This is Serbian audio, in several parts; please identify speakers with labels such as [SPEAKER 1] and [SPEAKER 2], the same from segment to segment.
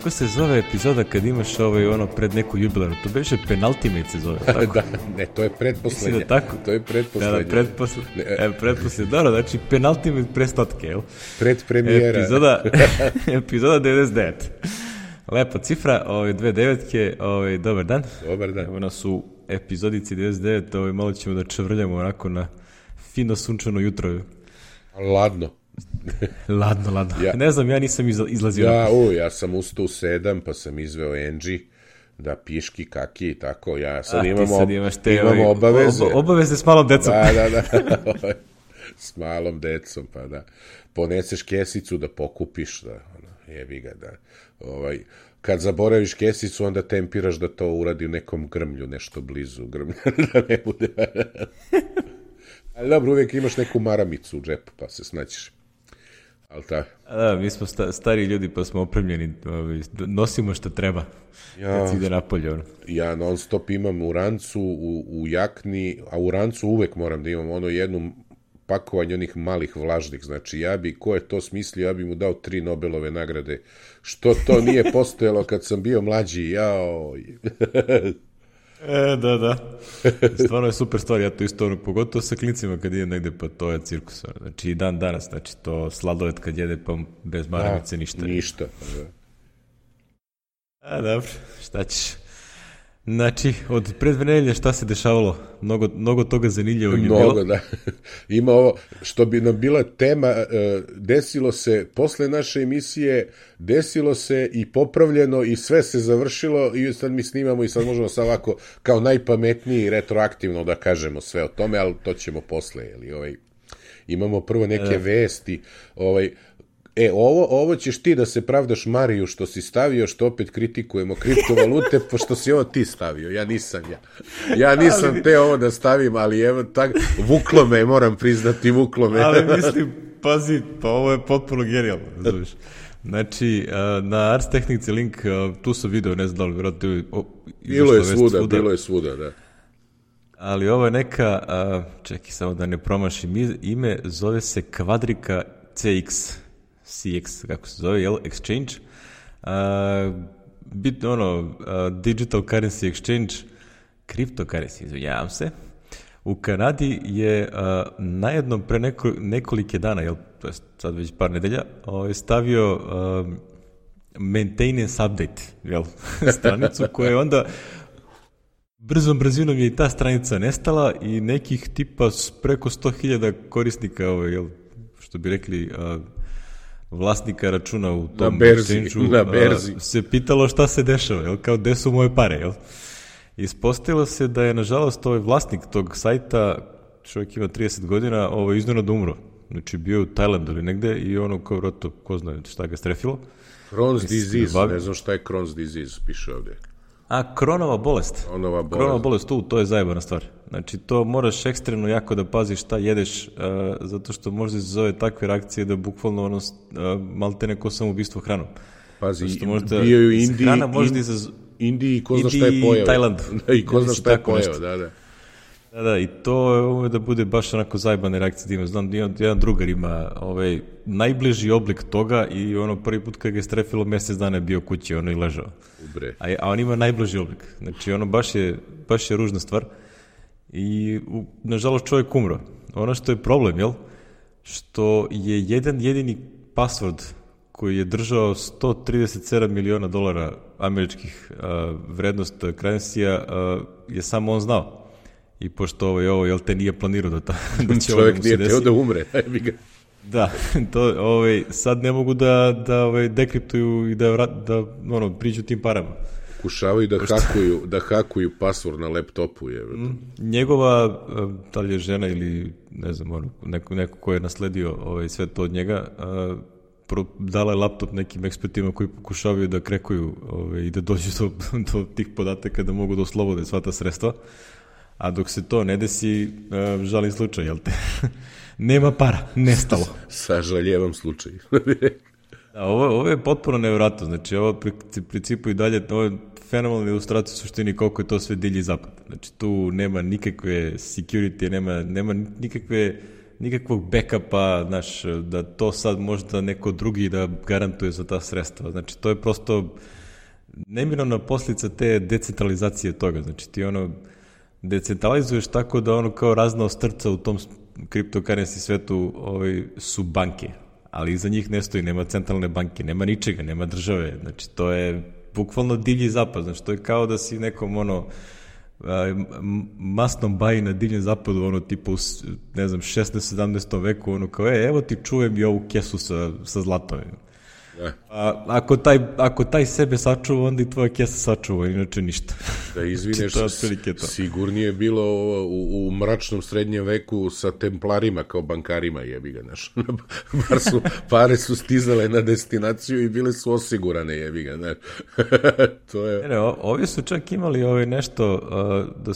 [SPEAKER 1] kako se zove epizoda kad imaš ono pred neku jubilarnu? To beše penultimate se zove, tako?
[SPEAKER 2] Da, ne, to je pretposlednja.
[SPEAKER 1] Da, tako?
[SPEAKER 2] To je pretposlednja.
[SPEAKER 1] Da, pretposlednja. Dobro, znači penultimate pre stotke, jel?
[SPEAKER 2] Predpremijera.
[SPEAKER 1] Epizoda 99. Lepa cifra, 29-ke, dobar dan.
[SPEAKER 2] Dobar dan.
[SPEAKER 1] Evo nas u epizodici 99, malo ćemo da čavrljamo onako na fino sunčano jutro.
[SPEAKER 2] Ladno.
[SPEAKER 1] Ladno. Ne znam, ja nisam izlazio.
[SPEAKER 2] Ja sam ustao u 7, pa sam izveo Enđi da piški, kaki i tako. Ja sad imamo obaveze.
[SPEAKER 1] Obaveze s malom decom.
[SPEAKER 2] Da. S malom decom, pa da. Poneseš kesicu da pokupiš, da, jebi ga, da. Kad zaboraviš kesicu, onda tempiraš da to uradi u nekom grmlju, nešto blizu grmlja, da ne bude. Ali dobro, uvijek imaš neku maramicu u džepu, pa se snaćiš.
[SPEAKER 1] Da, mi smo stari ljudi, pa smo opremljeni, nosimo što treba, kad si ide napolje.
[SPEAKER 2] Ja non stop imam u rancu, u jakni, a u rancu uvek moram da imam jednu pakovanje onih malih vlažnih, znači ko je to smislio, ja bi mu dao 3 Nobelove nagrade, što to nije postojalo kad sam bio mlađi,
[SPEAKER 1] Da. Stvarno je super stvar, ja to isto, pogotovo sa klincima kad idem negde, pa to je cirkus. Znači i dan danas, znači to sladoled kad jede, pa bez maramice ništa.
[SPEAKER 2] Ništa.
[SPEAKER 1] Dobro, šta ćeš? Znači, od predvenelja šta se dešavalo? Mnogo toga zanimljivog je bilo.
[SPEAKER 2] Mnogo, da. Ima ovo, što bi nam bila tema, desilo se, posle naše emisije, desilo se i popravljeno i sve se završilo i sad mi snimamo i sad možemo sad ovako kao najpametniji retroaktivno da kažemo sve o tome, ali to ćemo posle. Imamo prvo neke vesti, ovo ćeš ti da se pravdaš Mariju što si stavio, što opet kritikujemo kriptovalute, pošto si ovo ti stavio, ja nisam. Ja nisam te ovo da stavim, ali evo tako, vuklo me, moram priznati, vuklo me.
[SPEAKER 1] Ali mislim, pazi, pa ovo je potpuno genijalno, znaš. Znači, na Ars Technici link, tu sam video, ne znam da li vjerojatno
[SPEAKER 2] bilo je svuda, da.
[SPEAKER 1] Ali ovo je neka, čekaj samo da ne promašim ime, zove se Kvadrika CX, kako se zove, exchange, digital currency exchange, cryptocurrency, izvinjavam se, u Kanadi je najednom pre nekolike dana, to je sad već par nedelja, stavio maintenance update, stranicu koja je onda brzom brzinom je i ta stranica nestala i nekih tipa preko 100.000 korisnika, što bi rekli, vlasnika računa u tom exchange-u se pitalo šta se dešava, kao gde su moje pare, Ispostavilo se da je, nažalost, vlasnik tog sajta, čovjek ima 30 godina, iznenada umro. Znači, bio u Tajlandu ili negde i kao vratno, ko zna šta ga strefilo.
[SPEAKER 2] Crohn's disease, ne znam šta je Crohn's disease, piše ovdje.
[SPEAKER 1] Kronova bolest. Kronova bolest, to je zajebana stvar. Znači, to moraš ekstremno jako da paziš šta jedeš, zato što možda se zove takve reakcije da bukvalno malte neko samoubistvo hranom.
[SPEAKER 2] Pazi, bio je u Indiji i ko zna šta je pojeo.
[SPEAKER 1] Tajlandu.
[SPEAKER 2] I ko zna šta je pojeo, da.
[SPEAKER 1] Da, i to da bude baš onako zajebane reakcije. Znam, jedan drugar ima najbliži oblik toga i prvi put kad ga je strefilo, mjesec dana je bio kući, i ležao. A on ima najbliži oblik. Znači, baš je ružna stvar. I, nažalost, čovjek umro. Ono što je problem, što je jedan jedini password koji je držao $137 miliona američkih vrednost currency-a, je samo on znao. I pošto ovo te nije planirao da će
[SPEAKER 2] čovjek nije teo da umre.
[SPEAKER 1] Da, sad ne mogu da dekriptuju i da priđu tim parama.
[SPEAKER 2] Pokušavaju da hakuju password na laptopu.
[SPEAKER 1] Njegova, da li je žena ili ne znam, neko ko je nasledio sve to od njega, dala je laptop nekim ekspertima koji pokušavaju da krekuju i da dođu do tih podataka da mogu da oslobode sva ta sredstva. A dok se to ne desi, žalim slučaj, nema para, nestalo.
[SPEAKER 2] Sažaljevam slučaj.
[SPEAKER 1] Ovo je potpuno nevjerojatno, znači ovo principu i dalje, ovo je fenomenalna ilustracija u suštini koliko je to sve divlji zapad. Znači tu nema nikakve security, nema nikakve nikakvog backupa, znaš, da to sad možda neko drugi da garantuje za ta sredstva. Znači, to je prosto neminovna posljedica te decentralizacije toga. Znači, ti decentralizuješ tako da kao razna ostrca u tom cryptocurrency svetu su banke, ali iza njih ne stoji, nema centralne banke, nema ničega, nema države. Znači, to je bukvalno divlji zapad. Znači, to je kao da si nekom masnom baji na divljem zapadu, tipa u, ne znam, 16. 17. veku, kao, evo ti čujem i ovu kesu sa zlatom. Ako taj sebe sačuva, onda i tvoja kesa sačuva, inače ništa.
[SPEAKER 2] Da izvineš, sigurnije je bilo u mračnom srednjem veku sa templarima kao bankarima, jebi ga, znaš. Pare su stizale na destinaciju i bile su osigurane, jebi ga, znaš. To je...
[SPEAKER 1] Ne, ovi su čak imali nešto da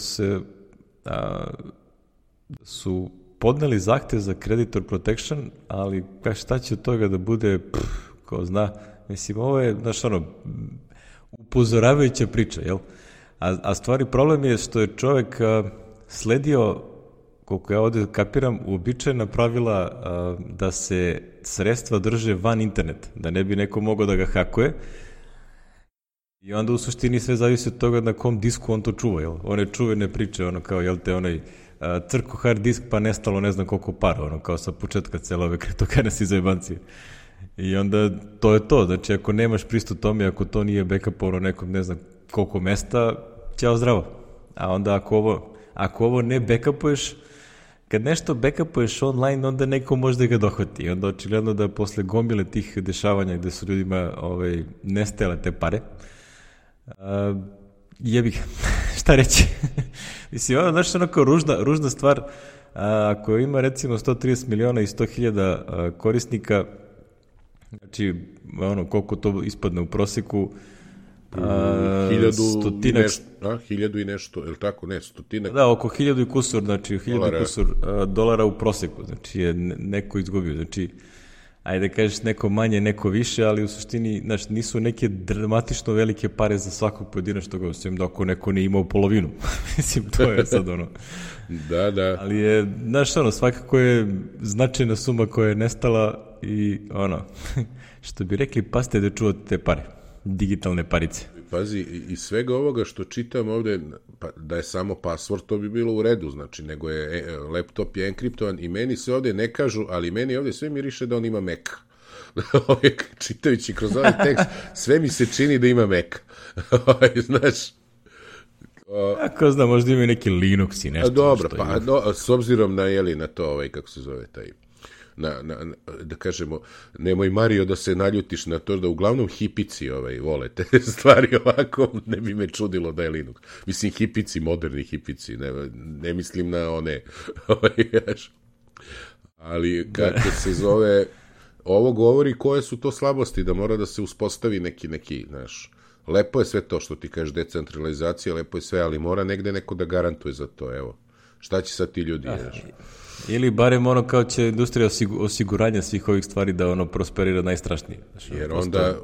[SPEAKER 1] su podneli zahtev za creditor protection, ali šta će od toga da bude... ko zna, mislim, ovo je, znaš, upozoravajuća priča, jel? A stvari problem je što je čovek sledio, koliko ja ovde kapiram, uobičajena pravila da se sredstva drže van interneta, da ne bi neko mogao da ga hakuje, i onda u suštini sve zavisi od toga na kom disku on to čuva, jel? One čuvene priče, kao, jel te, crko hard disk pa nestalo ne znam koliko para, kao sa početka cele ove cryptocurrency zajebancije. I onda to je to, znači ako nemaš pristup tome, ako to nije backup nekom ne znam koliko mesta, ćao zdravo. A onda ako ovo ne backupuješ, kad nešto backupuješ online, onda neko može da ga dohvati. I onda očigledno da posle gomile tih dešavanja gde su ljudima nestajale te pare, jebi ga, šta reći? Mislim, znaš, kao ružna stvar, ako ima recimo 130 miliona i 100.000 korisnika, znači, koliko to ispadne u proseku,
[SPEAKER 2] 1000 i nešto, je li tako? Ne, stotinak.
[SPEAKER 1] Da, oko 1000 i kusur, znači 1000 kusur dolara u proseku, znači je neko izgubio, znači, ajde kažeš neko manje, neko više, ali u suštini, znači, nisu neke dramatično velike pare za svakog pojedinačnog, osim da ako neko ne imao polovinu, mislim, to je sad
[SPEAKER 2] Da.
[SPEAKER 1] Ali je, znaš, svakako je značajna suma koja je nestala i što bi rekli, paste da čuvate te pare, digitalne parice.
[SPEAKER 2] Pazi, i svega ovoga što čitam ovde, da je samo password, to bi bilo u redu, znači, nego je, laptop je enkriptovan i meni se ovde ne kažu, ali meni ovde sve miriše da on ima Mac. Čitajući kroz ovaj tekst, sve mi se čini da ima Mac. Znaš, Ako
[SPEAKER 1] zna, možda ima neki Linux i nešto.
[SPEAKER 2] Dobro, s obzirom na to, kako se zove taj, da kažemo, nemoj Mario da se naljutiš na to da uglavnom hipici vole te stvari ovako, ne bi me čudilo da je Linux. Mislim, hipici, moderni hipici, ne mislim na one, ali kako se zove, ovo govori koje su to slabosti, da mora da se uspostavi neki, znaš, lepo je sve to što ti kažeš, decentralizacija, lepo je sve, ali mora negde neko da garantuje za to, evo. Šta će sad ti ljudi, znaš?
[SPEAKER 1] Ili barem kao će industrija osiguranja svih ovih stvari da prosperira najstrašnije.
[SPEAKER 2] Jer onda,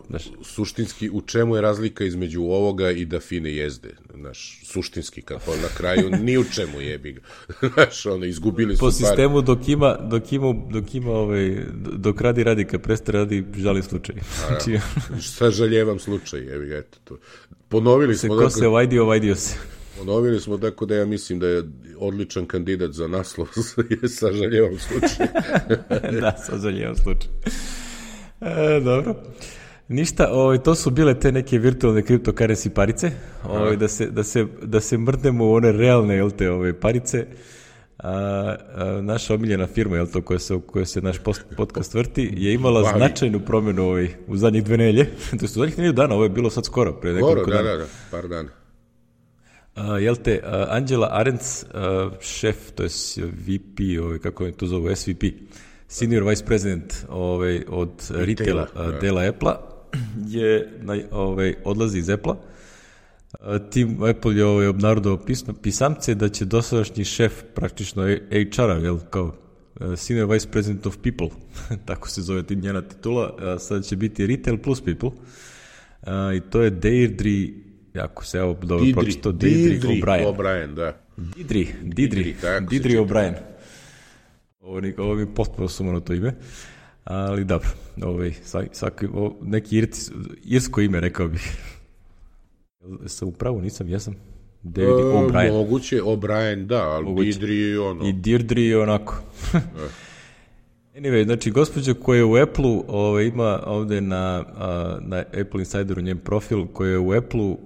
[SPEAKER 2] suštinski, u čemu je razlika između ovoga i da fine jezde? Znaš, suštinski, kako na kraju, ni u čemu jebi ga. Znaš, izgubili su
[SPEAKER 1] po sistemu dok radi, kad prestane radi, žali slučaj.
[SPEAKER 2] Sažaljevam slučaj, jebi ga, eto to. Ponovili smo...
[SPEAKER 1] Ko se ovajdio se.
[SPEAKER 2] Ponovili smo, tako da ja mislim da je odličan kandidat za naslov, sažaljevam slučaj.
[SPEAKER 1] Da, sažaljevam slučaj. Dobro. Ništa, to su bile te neke virtualne cryptocurrency parice, da se mrdnemo u one realne, jel te, parice. Naša omiljena firma, jel to, koja se naš podcast vrti, je imala značajnu promjenu u zadnjih 2 nedelje. To je u zadnjih 2 dana, ovo je bilo sad skoro, pre nekoliko dana.
[SPEAKER 2] Da, par dana.
[SPEAKER 1] Jel te, Angela Arendt, šef, to je VP, kako je to zovu, SVP, Senior Vice President od retaila dela Apple-a, odlazi iz Apple-a. Tim Apple je obnarodao pisamce da će dosadašnji šef praktično HR-a, jel, kao Senior Vice President of People, tako se zove njena titula, sada će biti Retail plus People, i to je Deirdre, jako se dobro pročito, Deirdre O'Brien.
[SPEAKER 2] Da.
[SPEAKER 1] Deirdre O'Brien. Ovo mi potpuno sumano to ime, ali dobro, neki irsko ime, rekao bih. Sam upravo, nisam, jesam. David O'Brien.
[SPEAKER 2] Moguće, O'Brien, da, ali Deirdre je ono.
[SPEAKER 1] I Deirdre je onako. Anyway, znači, gospođa koja je u Apple-u, ima ovde na Apple Insideru njen profil, koja je u Apple-u,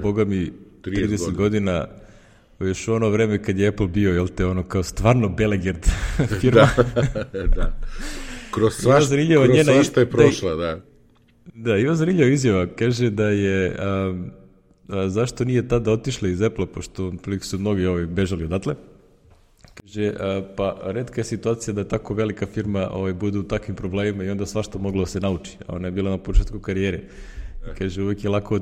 [SPEAKER 1] boga mi, 30 godina, još ono vreme kad je Apple bio, jel te, ono kao stvarno Belegerd firma.
[SPEAKER 2] Da. Kroz svašta je prošla, da.
[SPEAKER 1] Da, ima zanimljiva izjava, kaže da je, zašto nije tada otišla iz Apple-a, pošto su mnogi bežali odatle. Kaže, pa retka je situacija da tako velika firma bude u takvim problemima i onda svašta moglo da se nauči. Ona je bila na početku karijere. Kaže, uvijek je lako,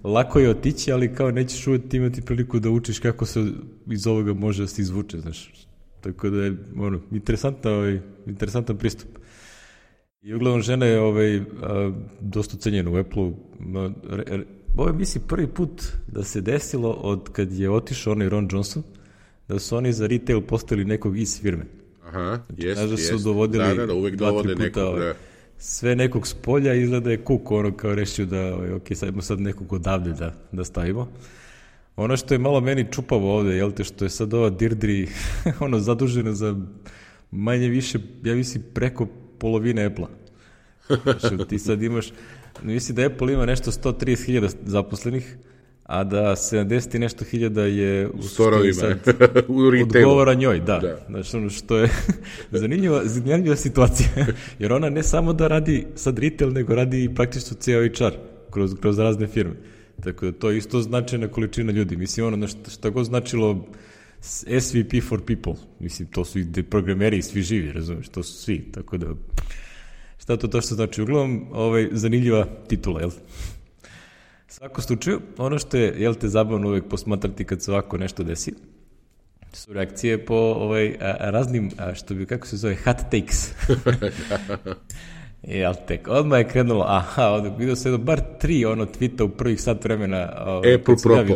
[SPEAKER 1] lako je otići, ali kao nećeš uvijek imati priliku da učiš kako se iz ovoga može da se izvuče, znaš. Tako da je, interesantan pristup. I uglavnom žena je dosta cenjena u Apple-u. Ovo je, mislim, prvi put da se desilo od kad je otišao onaj Ron Johnson, da su oni za retail postavili nekog iz firme.
[SPEAKER 2] Aha, jest.
[SPEAKER 1] Znači, su dovodili
[SPEAKER 2] da, uvek dovode nekog, da.
[SPEAKER 1] Sve nekog s polja, izgleda je Cook, kao rešio da, sad nekog odavde da stavimo. Ono što je malo meni čupavo ovde, jel te, što je sad ova Deirdre, zadužena za manje više, ja mislim, preko polovine Apple-a. Znači, ti sad imaš, mislim da Apple ima nešto 130.000 zaposlenih, a da 70 i nešto hiljada je u
[SPEAKER 2] storovima, u retailu.
[SPEAKER 1] Odgovara njoj, da. Znači, ono što je zanimljiva situacija, jer ona ne samo da radi sad retail, nego radi i praktično ceo HR kroz razne firme. Tako da to je isto značajna količina ljudi. Mislim, ono što god značilo SVP for people, mislim, to su i programeri i svi živi, razumiješ, to su svi, tako da šta to što znači? Uglavnom, zanimljiva titula, jel? Svako slučaju, ono što je, jel te, zabavno uvek posmatrati kad se ovako nešto desi, su reakcije po raznim, što bi, kako se zove, hot takes. Jel tek, odmah je krenulo, ovdje vidio se bar 3 tweeta u prvih sat vremena.
[SPEAKER 2] Apple propo.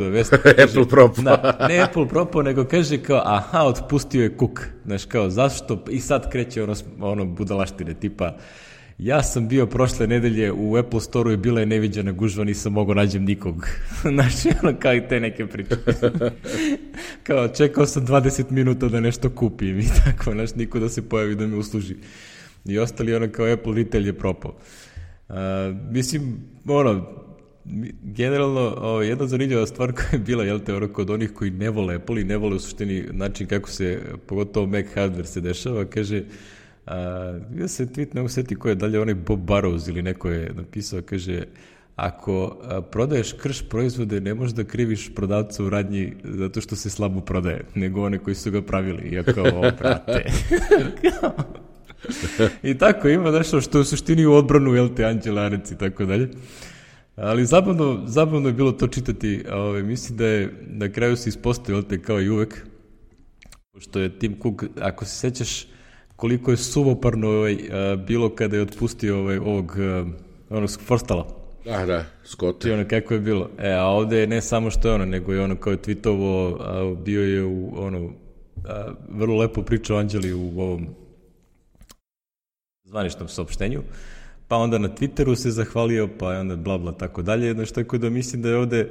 [SPEAKER 2] Apple propo.
[SPEAKER 1] Ne Apple propo, nego kaže kao, otpustio je Cook. Znaš, kao, zašto? I sad kreće ono budalaštine, tipa, ja sam bio prošle nedelje u Apple Store-u i bila je neviđena gužva, nisam mogao nađem nikog. Znači, kao i te neke priče. Kao, čekao sam 20 minuta da nešto kupim i tako, znaš, niko da se pojavi da me usluži. I ostali kao Apple retail je propao. Mislim, generalno, jedna zanimljiva stvar koja je bila, jel te, kod onih koji ne vole Apple i ne vole u suštini način kako se, pogotovo Mac hardware se dešava, kaže, ja se tweet ne usjeti ko je dalje, onaj Bob Burrows ili neko je napisao, kaže, ako prodaješ krš proizvode, ne možeš da kriviš prodavca u radnji zato što se slabo prodaje, nego one koji su ga pravili. Iako, prate. I tako ima nešto što je u suštini u odbranu, jel te, Anđela Arec i tako dalje. Ali zabavno je bilo to čitati. Mislim da je na kraju se ispostavio, jel te, kao i uvek, pošto je Tim Cook, ako se sećaš koliko je suvoparno bilo kada je otpustio ovog Forstalla.
[SPEAKER 2] Da, Scott.
[SPEAKER 1] I kako je bilo. A ovde je ne samo što je nego je kao je tweetovo, bio je u vrlo lepo pričao Anđeli u ovom zvaničnom saopštenju, pa onda na Twitteru se zahvalio, pa onda bla tako dalje, znači tako da mislim da je ovde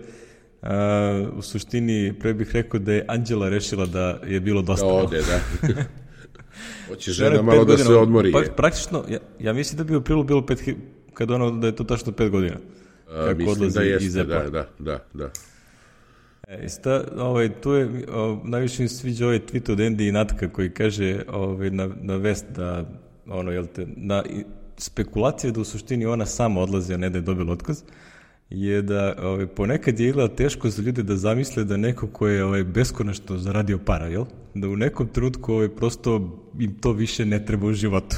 [SPEAKER 1] u suštini, pre bih rekao da je Anđela rešila da je bilo dosta.
[SPEAKER 2] Da ode, da. Hoće žena malo da se odmori.
[SPEAKER 1] Praktično, ja mislim da bi u aprilu bilo 5, kada da je to tačno 5 godina.
[SPEAKER 2] Mislim da jeste, da.
[SPEAKER 1] Tu je, najviše mi sviđa ovaj tweet od Andy i Natka koji kaže na vest da na spekulacije da u suštini ona sama odlazi, a ne da je dobila otkaz, je da ponekad je izgleda teško za ljude da zamisle da neko ko je beskonačno zaradio para, jel? Da u nekom trenutku prosto im to više ne treba u životu.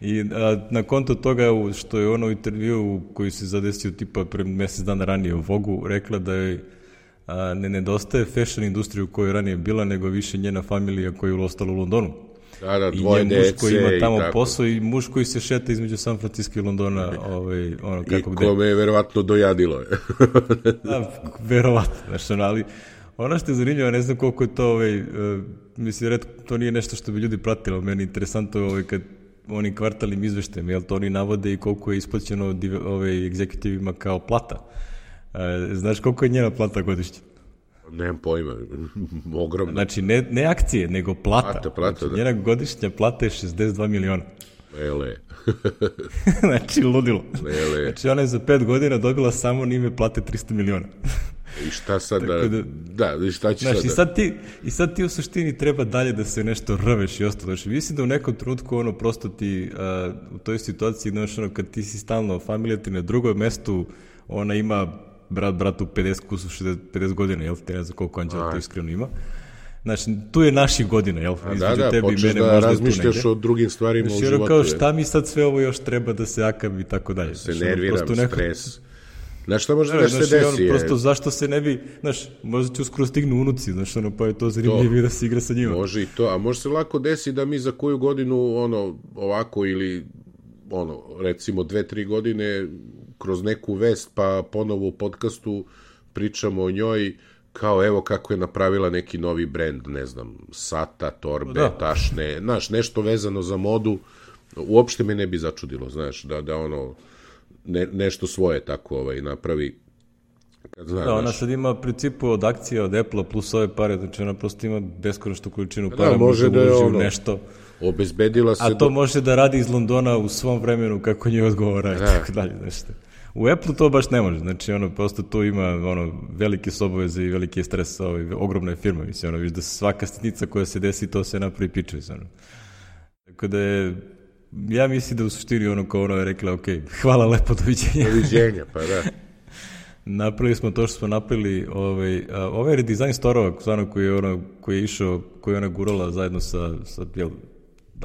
[SPEAKER 1] I na konto toga što je ona u intervju koji se zadesio tipa pre mesec dana ranije u Vogu rekla da je ne nedostaje fashion industriju u kojoj je ranije bila, nego više njena familija koja je ostala u Londonu.
[SPEAKER 2] Da, dvoje dece i
[SPEAKER 1] muž koji ima tamo posao i muž koji se šeta između San Francisco i Londona.
[SPEAKER 2] I kome je verovatno dojadilo.
[SPEAKER 1] Da, verovatno. Ali ono što je zanimljivo, ne znam koliko je to, mislim, to nije nešto što bi ljudi pratili, ali meni je interesantno kad oni kvartalnim izveštajem, jel to oni navode i koliko je isplaćeno egzekutivima kao plata. Znaš koliko je njena plata godišnje?
[SPEAKER 2] Nemam pojma, ogromno.
[SPEAKER 1] Znači, ne akcije, nego plata.
[SPEAKER 2] Plata,
[SPEAKER 1] znači,
[SPEAKER 2] da.
[SPEAKER 1] Njena godišnja plata je 62 miliona.
[SPEAKER 2] Ele.
[SPEAKER 1] Znači, ludilo.
[SPEAKER 2] Ele.
[SPEAKER 1] Znači, ona je za 5 godina dobila samo na ime plate 300 miliona.
[SPEAKER 2] I šta sad da, šta će
[SPEAKER 1] znači,
[SPEAKER 2] sad da...
[SPEAKER 1] I sad ti u suštini treba dalje da se nešto rveš i ostalo. Znači, mislim da u nekom trenutku prosto ti u toj situaciji, kad ti si stalno familija ti na drugom mestu, ona ima bratu 50 godina, jel? Te ne znam koliko Anđela to iskreno ima. Znači, tu je naših godina, jel?
[SPEAKER 2] Da, počeš da razmišljaš o drugim stvarima u životu.
[SPEAKER 1] Kao šta mi sad sve ovo još treba da se akam i tako dalje.
[SPEAKER 2] Se nerviram, stres. Znaš šta može da se desi?
[SPEAKER 1] Prosto zašto se ne bi, možda će uskoro stignu unuci, pa je to zanimljivije da se igra sa njima.
[SPEAKER 2] Može i to, a može se lako desi da mi za koju godinu, ovako ili, recimo 2-3 godine kroz neku vest, pa ponovo u podcastu pričamo o njoj, kao evo kako je napravila neki novi brend, ne znam, sata, torbe, tašne, nešto vezano za modu, uopšte me ne bi začudilo, znaš, da nešto svoje tako napravi.
[SPEAKER 1] Ona sad ima principu od akcije od Apple plus ove pare, znači ona prosto ima beskonačnu količinu para,
[SPEAKER 2] može da je
[SPEAKER 1] nešto.
[SPEAKER 2] Obezbedila se...
[SPEAKER 1] A to može da radi iz Londona u svom vremenu kako njoj odgovara i tako dalje, nešto. U Apple to baš ne može, znači prosto tu ima velike obaveze i veliki stres, ogromna je firma, mislim, viš da svaka sitnica koja se desi, to se napravi piče, mislim. Tako da je, ja mislim da u suštini kao je rekla, ok, hvala lepo, doviđenja.
[SPEAKER 2] Doviđenja, pa da.
[SPEAKER 1] Napravili smo to što smo napravili, ovaj redizajn storova, koji je išao, koji je ona gurala zajedno sa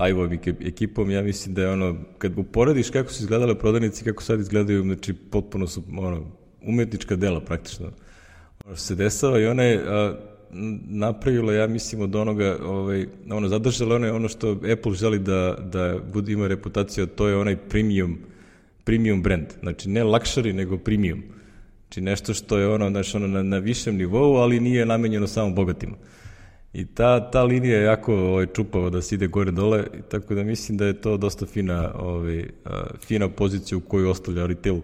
[SPEAKER 1] Ivo-ovim ekipom, ja mislim da je kad uporediš kako su izgledale prodavnice i kako sad izgledaju, znači potpuno su umetnička dela praktično. Što se desava i ona je napravila, ja mislim, od onoga, zadržala ono što Apple želi da ima reputaciju, a to je onaj premium brand. Znači ne luxury, nego premium. Znači nešto što je na višem nivou, ali nije namenjeno samo bogatima. I ta linija je jako čupava da se ide gore dole, tako da mislim da je to dosta fina pozicija u koju ostavlja retail.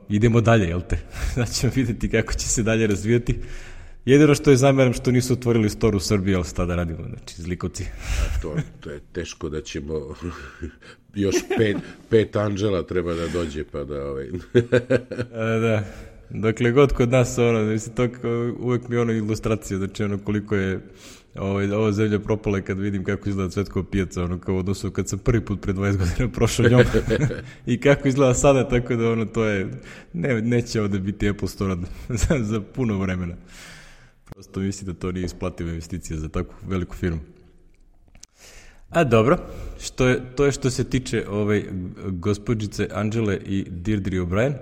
[SPEAKER 1] Idemo dalje, jel te? Znači ćemo vidjeti kako će se dalje razvijati. Jedino što je zameram što nisu otvorili store u Srbiji, ali šta da radimo, znači zlikovci.
[SPEAKER 2] To je teško da ćemo još 5 Anđela treba da dođe pa da
[SPEAKER 1] Da. Dakle, god kod nas, mislim, to uvek mi je ilustracija, znači koliko je ova zemlja propala kad vidim kako izgleda Cvetkova pijaca, kao odnosu kad sam prvi put pre 20 godina prošao njom i kako izgleda sada, tako da to je, neće ovde biti Apple Store za puno vremena. Prosto mislim da to nije isplativa investicija za takvu veliku firmu. A dobro, to je što se tiče gospođice Anđele i Deirdre O'Brien.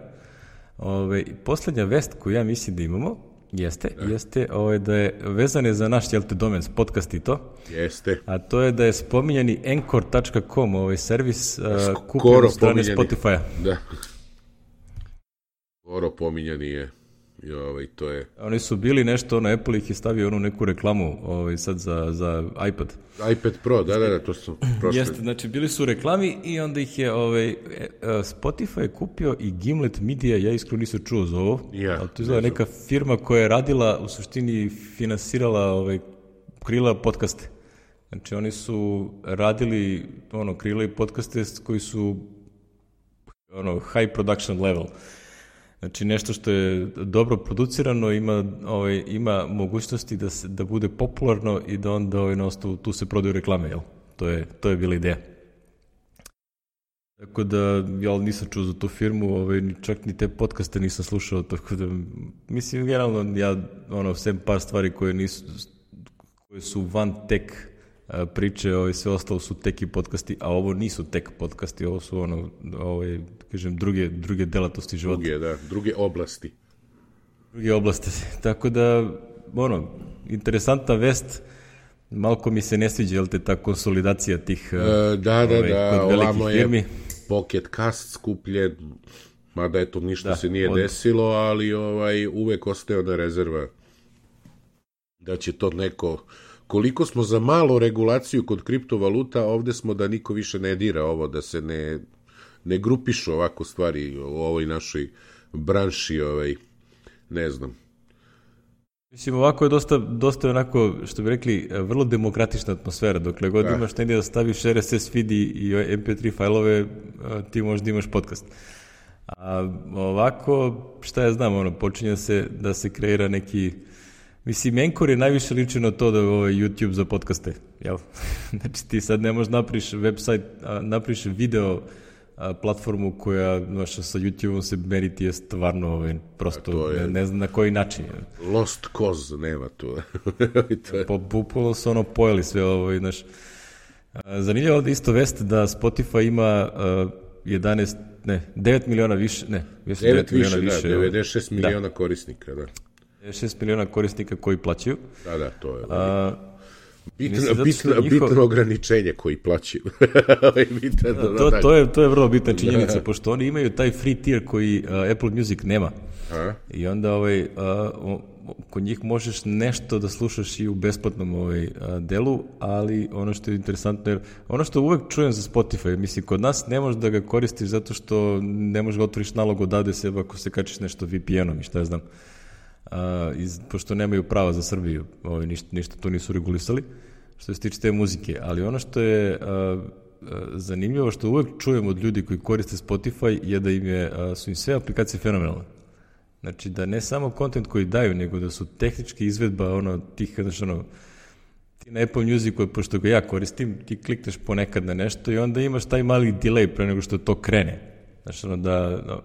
[SPEAKER 1] Poslednja vest koju ja mislim da imamo jeste da je vezane za naš domen, podcast i to.
[SPEAKER 2] Jeste.
[SPEAKER 1] A to je da je spominjani Anchor.com, servis kupljen od strane Spotify-a.
[SPEAKER 2] Da. Skoro pominjani je. To je...
[SPEAKER 1] Oni su bili nešto, Apple ih je stavio neku reklamu sad za iPad.
[SPEAKER 2] iPad Pro, da, to su prošli.
[SPEAKER 1] Jeste, znači bili su reklami i onda ih je Spotify je kupio i Gimlet Media, ja iskreno nisam čuo za ovo, ali to je neka firma koja je radila, u suštini finansirala, krila podcaste. Znači oni su radili, krila i podcaste koji su high production level. Znači nešto što je dobro producirano, ima mogućnosti da bude popularno i da onda na osnovu tu se prodaju reklame, jel? To je bila ideja. Tako da, ja nisam čuo za tu firmu, čak ni te podcaste nisam slušao, tako da, mislim, generalno, ja, sem par stvari koje su van tech priče, sve ostalo su teki podcasti, a ovo nisu tek podcasti, ovo su kažem, druge delatnosti života.
[SPEAKER 2] Druge oblasti.
[SPEAKER 1] Druge oblasti. Tako da, interesantna vest, malko mi se ne sviđa, jel te, ta konsolidacija tih kod velikih firmi.
[SPEAKER 2] Je Pocket Cast skupljen, mada eto ništa se nije desilo, ali uvek ostaje ona rezerva da će to neko koliko smo za malu regulaciju kod kriptovaluta, ovde smo da niko više ne dira ovo, da se ne grupišu ovako stvari u ovoj našoj branši, ne znam.
[SPEAKER 1] Mislim, ovako je dosta onako, što bi rekli, vrlo demokratična atmosfera. Dokle god imaš negdje da staviš RSS feed i MP3 fajlove, ti možda imaš podcast. A ovako, šta ja znam, počinje da se kreira neki... Mislim, Anchor je najviše liči na to da je YouTube za podcaste, jel? Znači, ti sad ne možeš napriš website, napriš video platformu koja, znaš, sa YouTube-om se meriti je stvarno, prosto, ne znam na koji način.
[SPEAKER 2] Lost cause, nema tu.
[SPEAKER 1] Bukvalno su pojeli sve ovo, znaš. Zanimljivo ovdje isto vest da Spotify ima 9 miliona više,
[SPEAKER 2] 9 miliona više, 96 miliona korisnika, da.
[SPEAKER 1] 6 miliona korisnika koji plaćaju.
[SPEAKER 2] Da, to je. Bitno ograničenje koji plaćaju.
[SPEAKER 1] To je vrlo bitna činjenica, pošto oni imaju taj free tier koji Apple Music nema. I onda kod njih možeš nešto da slušaš i u besplatnom delu, ali ono što je interesantno je, ono što uvek čujem za Spotify, mislim, kod nas ne možeš da ga koristiš zato što ne možeš ga otvoriš nalog odavde sebe ako se kačiš nešto VPN-om i šta ja znam. Pošto nemaju prava za Srbiju, ništa to nisu regulisali, što se tiče te muzike, ali ono što je zanimljivo, što uvek čujem od ljudi koji koriste Spotify, je da su im sve aplikacije fenomenalne. Znači da ne samo kontent koji daju, nego da su tehnički izvedba tih, ti na Apple Musicu, pošto ga ja koristim, ti klikneš ponekad na nešto i onda imaš taj mali delay pre nego što to krene. Znači,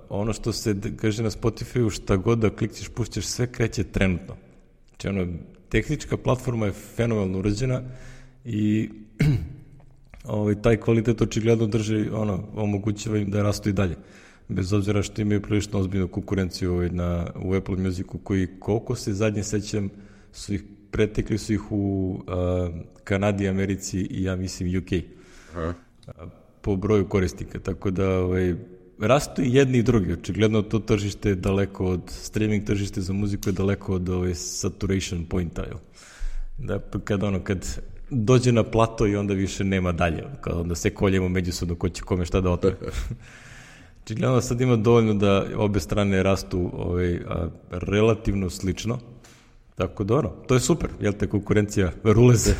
[SPEAKER 1] ono što se kaže na Spotify-u, šta god da klikćeš, pušćeš, sve kreće trenutno. Znači, tehnička platforma je fenomenalno urađena i taj kvalitet očigledno drži, omogućava im da rastu i dalje. Bez obzira što imaju prilično ozbiljnu konkurenciju u Apple Musicu, koji, koliko se zadnje sećam, pretekli su ih u Kanadi, Americi i ja mislim UK. Po broju korisnika, tako da rastu i jedni i drugi. Očigledno to tržište je daleko od, streaming tržište za muziku je daleko od saturation pointa. Da, kad dođe na plato i onda više nema dalje. Onda se koljemo međusobno ko će kome šta da otvore. Očigledno sad ima dovoljno da obe strane rastu relativno slično. Tako da to je super. Jel te konkurencija ruleze?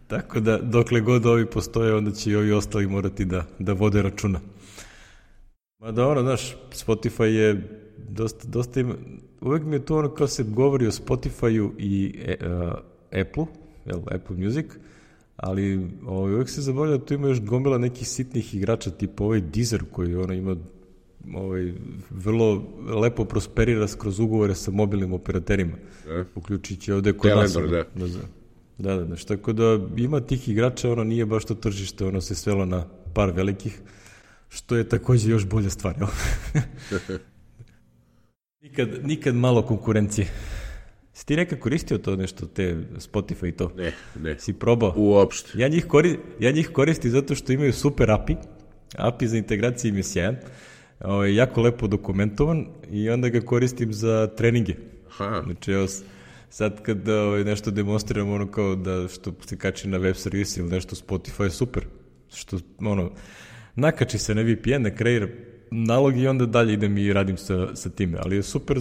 [SPEAKER 1] Tako da dokle god ovi postoje, onda će i ovi ostali morati da vode računa. Mada znaš, Spotify je dosta ima, uvek mi je to kao se govori o Spotify-u i Apple Music, ali uvek se zaboravlja da tu ima još gomila nekih sitnih igrača, tipa Deezer koji ima vrlo lepo prosperira kroz ugovore sa mobilnim operaterima, uključujući ovde kod nas. Da, znači, tako da ima tih igrača, nije baš to tržište, se svelo na par velikih, što je također još bolja stvar. Nikad malo konkurencije. Si ti nekad koristio to nešto, te Spotify i to?
[SPEAKER 2] Ne.
[SPEAKER 1] Si probao?
[SPEAKER 2] Uopšte.
[SPEAKER 1] Ja njih koristim zato što imaju super API. API za integraciju im je sjajan. Jako lepo dokumentovan i onda ga koristim za treninge. Znači, sad kad nešto demonstriram, kao da što se kači na web servisi ili nešto, Spotify je super. Što, nakači se na VPN, na kreira nalog i onda dalje idem i radim sa time. Ali je super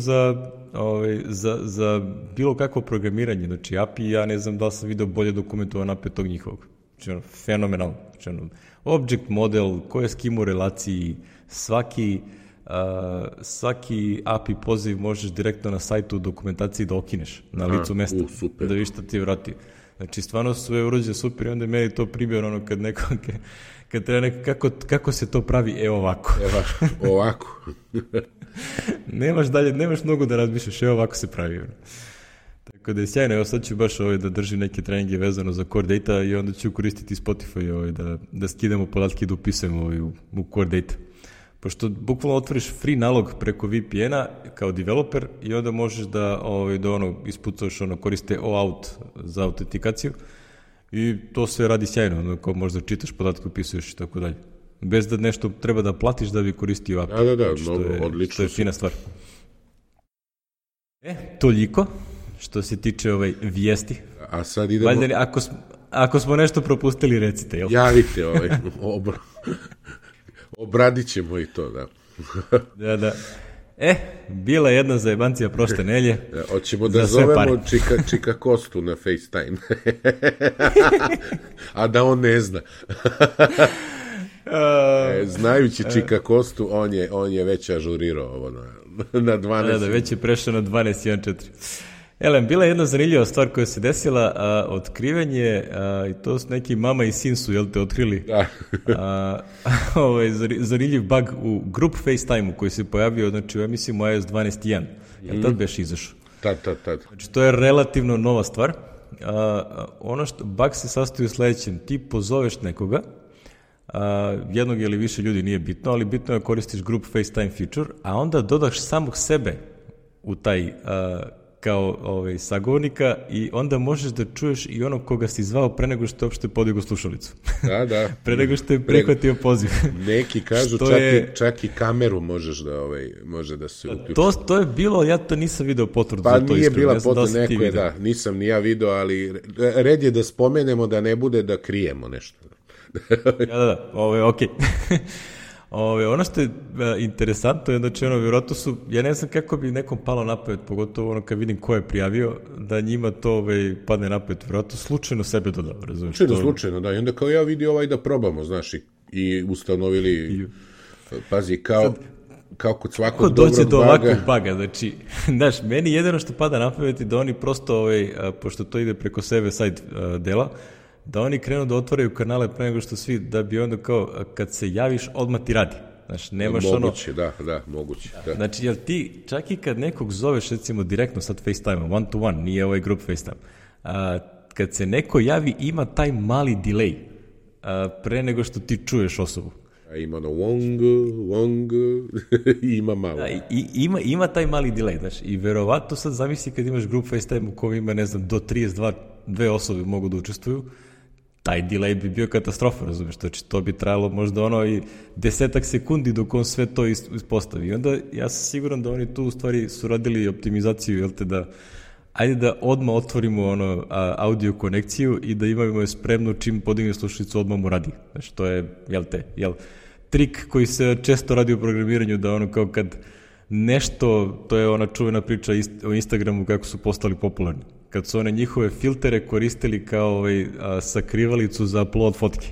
[SPEAKER 1] za bilo kakvo programiranje. Znači, API, ja ne znam da li sam video bolje dokumentovan API tog njihovog. Znači, fenomenalno. Znači, object model, ko je s kim u relaciji, svaki API poziv možeš direktno na sajtu u dokumentaciji da okineš na licu mesta, da viš šta ti vrati. Znači, stvarno sve urađe super i onda je meni to primjer kad neko, kad treba neko, kako se to pravi, ovako.
[SPEAKER 2] Ovako.
[SPEAKER 1] Nemaš mnogo da razmišljaš, ovako se pravi. Tako da je sjajno, evo sad ću baš da držim neke treninge vezano za core data i onda ću koristiti Spotify da skidamo podatke i da upisujemo u core data. Pošto bukvalno otvoriš free nalog preko VPN-a kao developer i onda možeš da ispucaš koriste OAuth za autentikaciju i to sve radi sjajno, kao možda čitaš podatke, upisuješ i tako dalje. Bez da nešto treba da platiš da bi koristio API.
[SPEAKER 2] Da, odlično.
[SPEAKER 1] Što je fina stvar. Toliko što se tiče vijesti.
[SPEAKER 2] a sad idemo...
[SPEAKER 1] Valjda, ako smo nešto propustili, recite, jel?
[SPEAKER 2] Javite, obradit ćemo i to, da.
[SPEAKER 1] Da. Bila je jedna zajebancija prošle nelje.
[SPEAKER 2] Hoćemo da zovemo Čika Kostu na FaceTime. A da on ne zna. Znajući Čika Kostu, on je već ažurirao ovo na 12.
[SPEAKER 1] Da, već je prešao na 12.1.4. Elem, bila je jedna zanimljiva stvar koja se desila, otkrivanje, i to su neki mama i sin su, jel te, otkrili, zanimljiv bug u Group FaceTime-u koji se pojavio, znači u emisiji iOS 12.1. Jel tad beš izašao?
[SPEAKER 2] Tad.
[SPEAKER 1] Znači, to je relativno nova stvar. Bug se sastoji u sledećem, ti pozoveš nekoga, jednog ili više ljudi nije bitno, ali bitno je da koristiš Group FaceTime feature, a onda dodaš samog sebe u taj kao sagovornika i onda možeš da čuješ i onog koga si zvao pre nego što je uopšte podigao slušalicu.
[SPEAKER 2] Da.
[SPEAKER 1] Pre nego što je prihvatio poziv.
[SPEAKER 2] Neki kažu čak i kameru možeš da može da se uključi.
[SPEAKER 1] To je bilo, ja to nisam video potvrdu za to iskreno.
[SPEAKER 2] Pa nije bila potvrda, neko je, da, nisam ni ja video, ali red je da spomenemo da ne bude da krijemo nešto.
[SPEAKER 1] Da, okej. Ono što je interesantno je, znači, vjerojatno su, ja ne znam kako bi nekom palo na pamet, pogotovo kad vidim ko je prijavio, da njima to padne na pamet, vjerojatno slučajno sebe dodao, razumiješ?
[SPEAKER 2] Slučajno, da, i onda kao ja vidio da probamo, znaš, i ustanovili, pazi, kao kod svakog dobrog baga. Kako dođe do ovakvog baga,
[SPEAKER 1] znači, znaš, meni jedino što pada na pamet je da oni prosto, pošto to ide preko sebe side dela, da oni krenu da otvaraju kanale pre nego što svi, da bi onda kao, kad se javiš, odmah ti radi. Znaš, nemaš
[SPEAKER 2] moguće, moguće. Da.
[SPEAKER 1] Znači, jel ti, čak i kad nekog zoveš, recimo, direktno sad FaceTime, one to one, nije group FaceTime, kad se neko javi, ima taj mali delay pre nego što ti čuješ osobu.
[SPEAKER 2] Ima wong, ima malo.
[SPEAKER 1] Da, ima taj mali delay, znaš, i verovatno sad zamisli kad imaš group FaceTime u kojem ima, ne znam, do 32 osobe mogu da učestvuju, taj delay bi bio katastrofa, razumiješ, znači to bi trajalo možda i 10 sekundi dok on sve to ispostavi. I onda ja sam siguran da oni tu u stvari su radili optimizaciju, jel te, da ajde da odmah otvorimo audio konekciju i da imamo je spremno čim podigne slušalicu, odmah mu radi. Znači to je, trik koji se često radi u programiranju, da kao kad nešto, to je ona čuvena priča o Instagramu kako su postali popularni. Kad su one njihove filtere koristili kao sakrivalicu za upload fotke.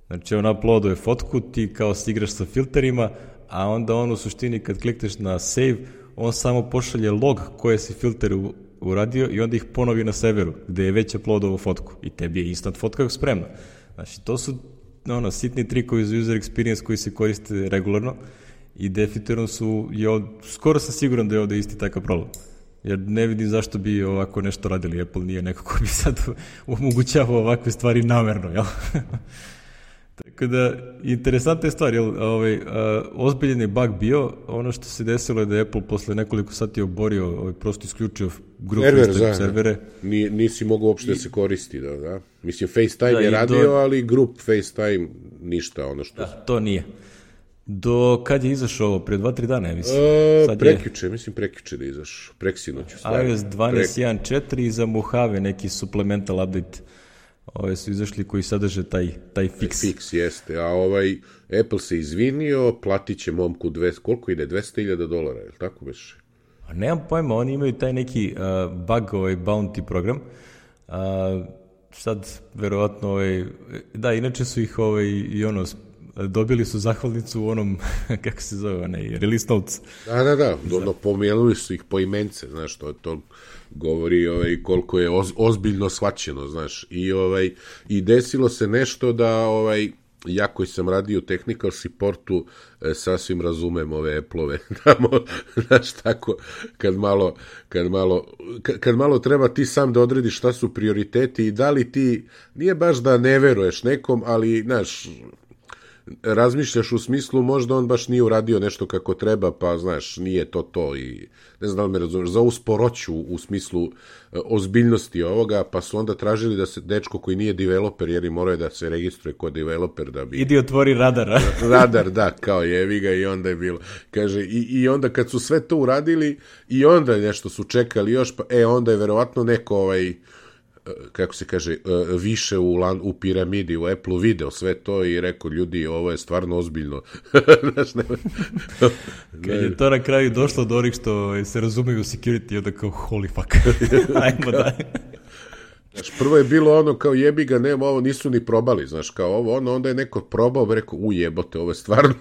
[SPEAKER 1] Znači on uploaduje fotku, ti kao si igraš sa filterima, a onda on u suštini kad klikneš na save, on samo pošalje log koje si filter uradio i onda ih ponovi na serveru gde je već uploadovao fotku i tebi je instant fotka spremna. Znači to su sitni trikovi za user experience koji se koriste regularno i definitivno su, skoro sam siguran da je ovde isti takav problem. Jer ne vidim zašto bi ovako nešto radili. Apple nije neko ko bi sad omogućavao ovakve stvari namerno, jel? Tako da, interesantna je stvar, jel? Ozbiljen je bug bio. Ono što se desilo je da je Apple posle nekoliko sati oborio, prosto isključio grup servere.
[SPEAKER 2] Nisi mogao uopšte da se koristi, da. Mislim, FaceTime je radio, ali grup FaceTime ništa, ono što...
[SPEAKER 1] Da, to nije. Do kad je izašao ovo? Pre 2-3 dana, ja mislim.
[SPEAKER 2] Prekjuče da izašao. Preksinoću stvari.
[SPEAKER 1] iOS 12.1.4 i za Mojave neki supplemental update. Ove su izašli koji sadrže taj fix.
[SPEAKER 2] Fix, jeste. A Apple se izvinio, platit će momku koliko ide? $200,000, je li tako već?
[SPEAKER 1] Nemam pojma, oni imaju taj neki bug, bounty program. Sad, verovatno, da, inače su ih dobili su zahvalnicu u onom, kako se zove, release notes.
[SPEAKER 2] Da, pomenuli su ih po imence, znaš, to govori koliko je ozbiljno shvaćeno, znaš, i desilo se nešto da, ja koji sam radio u technical supportu, sasvim razumem ove Apple-ove, znaš, tako, kad malo treba ti sam da odrediš šta su prioriteti i da li ti, nije baš da ne veruješ nekom, ali, znaš, razmišljaš u smislu možda on baš nije uradio nešto kako treba, pa znaš, nije to i ne znam da li me razumiješ, za ovu sporoću u smislu ozbiljnosti ovoga, pa su onda tražili da se dečko koji nije developer, jer im moraju da se registruje kao developer da bi...
[SPEAKER 1] Idi otvori radar.
[SPEAKER 2] Radar, da, kao jevi ga i onda je bilo. Kaže, i onda kad su sve to uradili i onda nešto su čekali još, pa onda je verovatno neko kako se kaže, više u piramidi, u Apple video sve to i rekao, ljudi, ovo je stvarno ozbiljno. Znaš, ne...
[SPEAKER 1] Kad je to na kraju došlo do onih što se razumeju u security, onda kao, holy fuck, ajmo daj.
[SPEAKER 2] Znaš, prvo je bilo ono kao jebi ga, nema ovo, nisu ni probali, znaš, kao ovo, onda je neko probao, rekao, jebote, ovo je stvarno,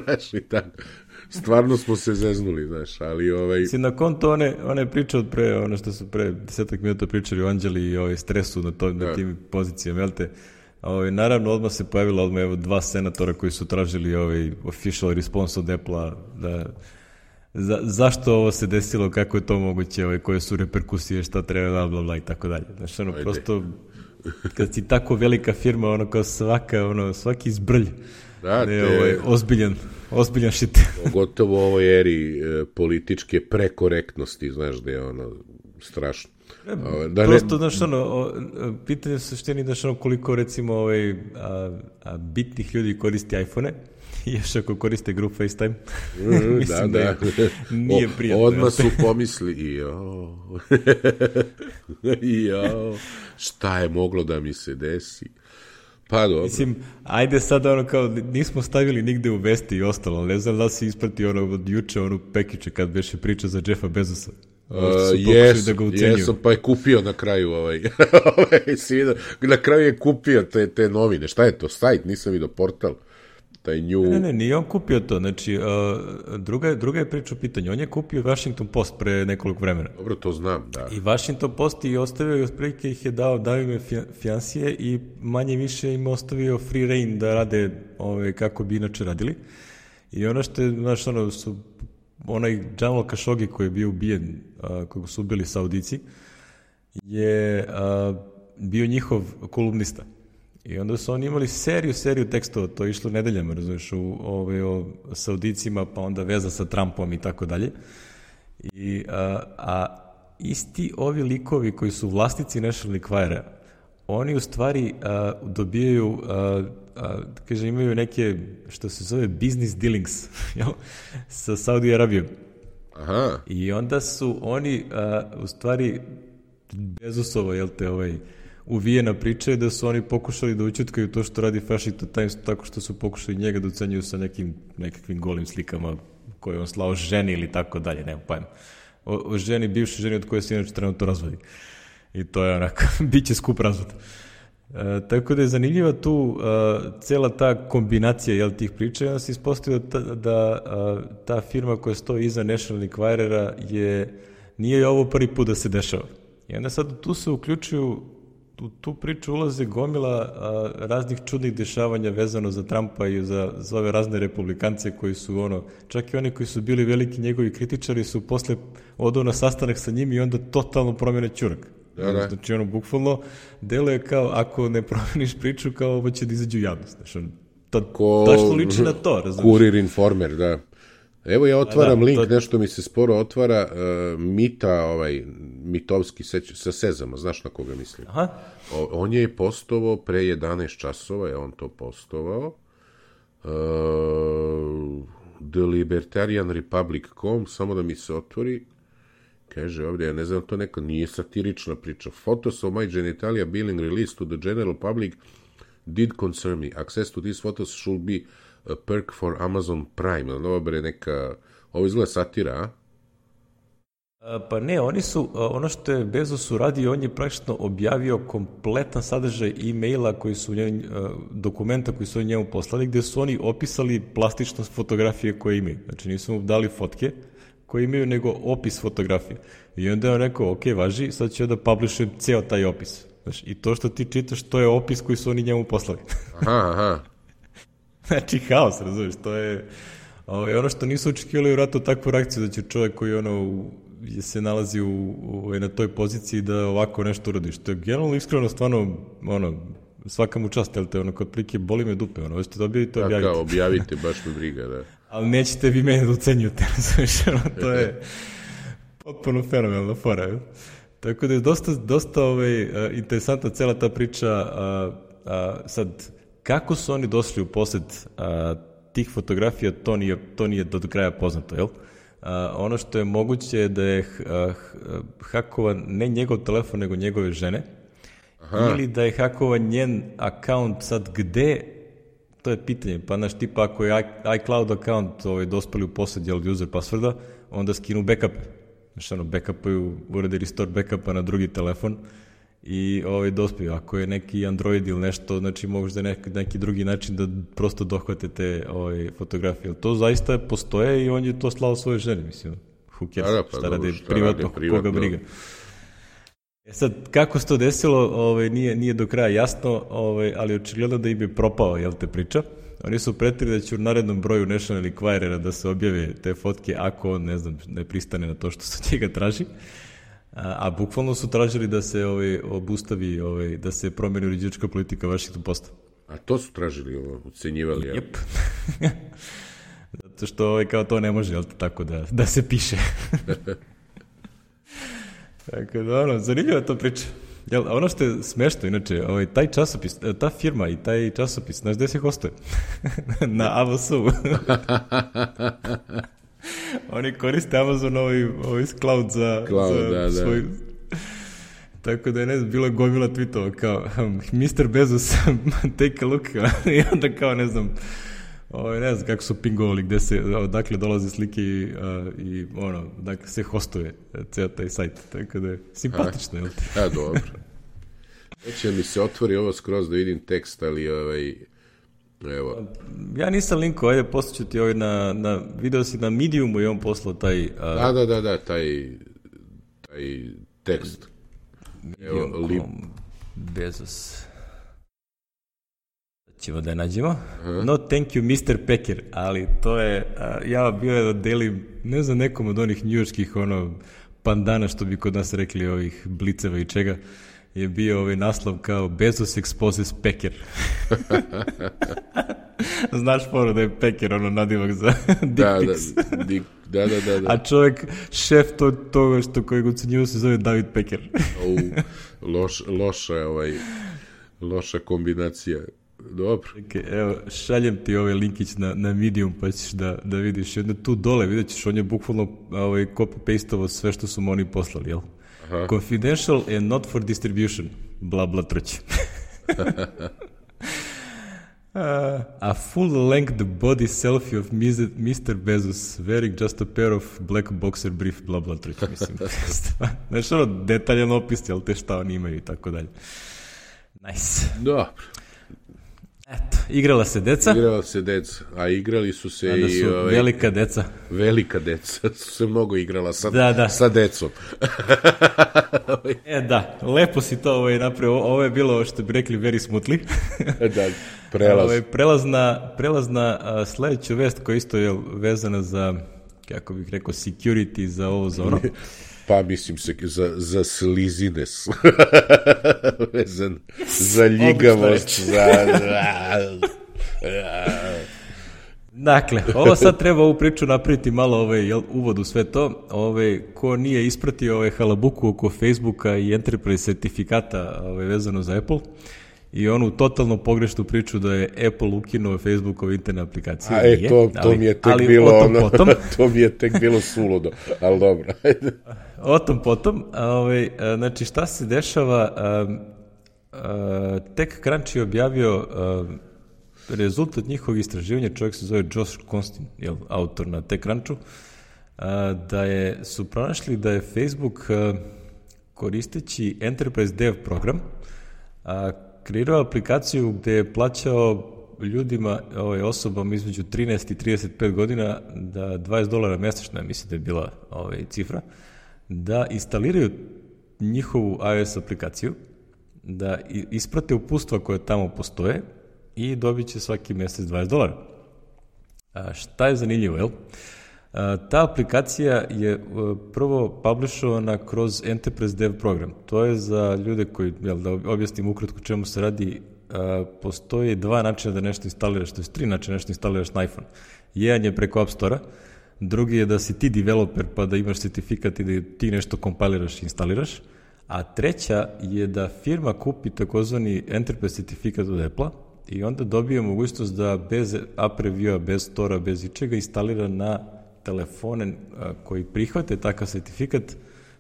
[SPEAKER 2] znaš, i tako. Stvarno smo se zeznuli, znaš, ali
[SPEAKER 1] Si na konto one priče od pre, ono što su pre 10 minuta pričali o Anđeli i stresu na tim pozicijama, jel te? Naravno, odmah se pojavila evo 2 senatora koji su tražili official response od Apple-a zašto ovo se desilo, kako je to moguće, koje su reperkusije, šta treba, bla, bla, i tako dalje. Znaš, prosto, kad si tako velika firma, kao svaki zbrlj, ozbiljan shit.
[SPEAKER 2] Pogotovo u ovoj eri političke prekorektnosti, znaš, da je strašno.
[SPEAKER 1] Prosto, znaš, pitanje suštini, znaš, koliko, recimo, bitnih ljudi koristi iPhone-e, i još ako koriste group FaceTime, mislim da nije prijatno.
[SPEAKER 2] Odmah su pomisli, šta je moglo da mi se desi? Pa dobro.
[SPEAKER 1] Mislim, ajde sad kao, nismo stavili nigde u vesti i ostalo, ne znam da si ispratio od juče pekiće kad beše priča za Jeffa Bezosa.
[SPEAKER 2] Jesam, pa je kupio na kraju na kraju je kupio te novine. Šta je to? Sajt? Nisam vidio portal.
[SPEAKER 1] Ne, nije on kupio to. Znači, druga je priča u pitanju. On je kupio Washington Post pre nekoliko vremena.
[SPEAKER 2] Dobro, to znam, da.
[SPEAKER 1] I Washington Post je ostavio i otprilike ih je dao im finansije i manje više im ostavio free reign da rade kako bi inače radili. I ono što je, znaš, onaj Jamal Khashoggi koji je bio ubijen, kojeg su ubili Saudici, je bio njihov kolumnista. I onda su oni imali seriju tekstova, to je išlo nedeljama, razumiješ, o Saudicima, pa onda veza sa Trumpom i tako dalje. A isti ovi likovi koji su vlasnici National Enquirer, oni u stvari dobijaju, kaže, imaju neke, što se zove business dealings, sa Saudi Arabijom.
[SPEAKER 2] Aha.
[SPEAKER 1] I onda su oni, u stvari, Bezosovo, jel te, uvijena priča je da su oni pokušali da učutkaju to što radi Washington Times tako što su pokušali njega da ucenjuju sa nekakvim golim slikama koje on slao ženi ili tako dalje, nema pojma. O ženi, bivšoj ženi od koje se inače trenutno razvodi. I to je onako, bit će skup razvod. Tako da je zanimljiva tu cela ta kombinacija tih priča i onda se ispostavio da ta firma koja stoji iza National Enquirera nije ovo prvi put da se dešava. I onda sad tu se uključuju, u tu priču ulaze gomila raznih čudnih dešavanja vezano za Trumpa i za ove razne republikance koji su čak i oni koji su bili veliki njegovi kritičari su posle odao na sastanak sa njim i onda totalno promjene ćurak.
[SPEAKER 2] Da.
[SPEAKER 1] Znači deluje kao ako ne promeniš priču kao ovo će da izađe u javnost. Znači tačno liči na to, razumiješ?
[SPEAKER 2] Kurir Informer, da. Evo ja otvaram link, nešto mi se sporo otvara, Mitovski sa Sezama, znaš na koga mislim?
[SPEAKER 1] Aha.
[SPEAKER 2] On je postovao pre 11 časova, je on to postovao. TheLibertarianRepublic.com, samo da mi se otvori. Kaže ovdje, ja ne znam, to neka nije satirična priča. Photos of my genitalia being released to the general public did concern me. Access to these photos should be a perk for Amazon Prime. Ovo izgleda satira, a?
[SPEAKER 1] Pa ne, oni su, ono što je Bezos uradio, on je praktično objavio kompletan sadržaj e-maila koji su dokumenta koji su njemu poslali, gde su oni opisali plastičnost fotografije koje imaju. Znači nisu mu dali fotke koje imaju, nego opis fotografije. I onda je on rekao, ok, važi, sad ću da publishujem ceo taj opis. Znači, i to što ti čitaš, to je opis koji su oni njemu poslali.
[SPEAKER 2] Aha.
[SPEAKER 1] Znači, haos, razumiješ, to je ono što nisu očekivali u ratu takvu reakciju, da će čovjek koji se nalazi na toj poziciji da ovako nešto uradi, što je generalno iskreno stvarno, svaka mu čast, jel te, kod plike boli me dupe, hoćete da objavite, objavite.
[SPEAKER 2] Tako, objavite, baš me briga, da.
[SPEAKER 1] Ali nećete vi mene da ucenjujete, razumiješ, to je potpuno fenomenalna fora, jel? Tako da je dosta interesantna cela ta priča, sad, kako su oni došli u posjed tih fotografija, to nije do kraja poznato, jel? Ono što je moguće je da je hakovan ne njegov telefon, nego njegove žene ili da je hakovan njen account sad gde, to je pitanje. Pa znaš, tipa ako je iCloud account dospeli u posjed user passworda, onda skinu backup. Znaš, backupuju, urade restore backupa na drugi telefon i dospiju. Ako je neki Android ili nešto, znači možda neki drugi način da prosto dohvate te fotografije. To zaista postoje i on je to slao svoje ženi, mislim. Who cares, šta radi privatno, koga briga. Sad, kako se to desilo, nije do kraja jasno, ali očigledno da im je propao, te priča. Oni su pretili da će u narednom broju National Enquirera da se objave te fotke ako on, ne pristane na to što se od njega traži. A bukvalno su tražili da se obustavi, da se promeni uređivačka politika Washington Posta.
[SPEAKER 2] A to su tražili, ocenjivali, ja?
[SPEAKER 1] Jep. Zato što kao to ne može, tako da se piše. Tako da, zanimljiva to priča. Ono što je smešno, inače, taj časopis, ta firma i taj časopis, znaš gde se hostuje? Na AWS-u. Oni koriste Amazon cloud za svoj... Da. Tako da je, bilo je gomila tweetova kao Mr. Bezos, take a look. I onda kao, ne znam kako su pingovali, odakle dolaze slike i dakle se hostuje ceo taj sajt, tako da je simpatično, jel ti?
[SPEAKER 2] Dobro. Neće mi se otvori ovo skroz da vidim tekst, ali evo.
[SPEAKER 1] Ja nisam linkao, ajde poslaću ti video si na Mediumu i on poslao taj...
[SPEAKER 2] Da, taj tekst.
[SPEAKER 1] Medium.com Bezos... ćemo da je nađemo. No thank you Mr. Pecker, ali to je, ja bio da delim, ne znam, nekom od onih njujorskih pandana, što bi kod nas rekli, ovih bliceva i čega, je bio naslov kao Bezos exposes Pecker. Znaš foru da je Pecker nadimak za dick pics.
[SPEAKER 2] Da.
[SPEAKER 1] A čovjek, šef toga kojeg ucenjivo se zove David Pecker.
[SPEAKER 2] Loša kombinacija. Dobro.
[SPEAKER 1] Evo, šaljem ti linkić na Medium, pa ćeš da vidiš. I onda tu dole vidjet ćeš, on je bukvalno copy-pasteovo sve što su mu oni poslali, jel? Aha. Confidential and not for distribution. Bla, bla, trć. A full-length body selfie of Mr. Bezos wearing just a pair of black boxer brief, bla, bla, trć, mislim. Znaš, detaljan opis, jel, te šta oni imaju i tako dalje. Nice.
[SPEAKER 2] Dobro.
[SPEAKER 1] Eto, igrala se deca,
[SPEAKER 2] a igrali su se
[SPEAKER 1] da su velika deca.
[SPEAKER 2] Velika deca su se mnogo igrala sa decom.
[SPEAKER 1] Da, lepo si to napravio, ovo je bilo, što bi rekli, very smoothly.
[SPEAKER 2] Da,
[SPEAKER 1] prelaz na sledeću vest koja isto je vezana za, kako bih rekao, security, za ovo, za ono.
[SPEAKER 2] Pa mislim se za slizines, vezan za ljigavost,
[SPEAKER 1] Dakle, ovo sad treba ovu priču napraviti malo uvod u sve to. Ko nije ispratio halabuku oko Facebooka i Enterprise sertifikata vezano za Apple, i onu totalno pogrešnu priču da je Apple ukinuo Facebookove interne aplikacije.
[SPEAKER 2] To mi je tek bilo suludo, ali dobro.
[SPEAKER 1] O tom potom, znači šta se dešava, TechCrunch je objavio rezultat njihovog istraživanja, čovjek se zove Josh Constin, autor na TechCrunchu, da su pronašli da je Facebook koristeći Enterprise Dev program kreirao aplikaciju gde je plaćao ljudima, osobama između 13 i 35 godina, da $20 mesečno, mislim da je bila cifra, da instaliraju njihovu iOS aplikaciju, da isprate uputstva koje tamo postoje i dobit će svaki mesec $20. Šta je zanimljivo, jel? Ta aplikacija je prvo publishovana kroz Enterprise Dev program. To je za ljude koji, da objasnim ukratko čemu se radi, postoji dva načina da nešto instaliraš, to je 3 načina nešto instaliraš na iPhone. Jedan je preko App Store-a, drugi je da si ti developer pa da imaš sertifikat i da ti nešto kompiliraš i instaliraš, a treća je da firma kupi takozvani Enterprise sertifikat od Apple-a i onda dobije mogućnost da bez app review-a, bez Store-a, bez ičega instalira na telefone koji prihvate takav sertifikat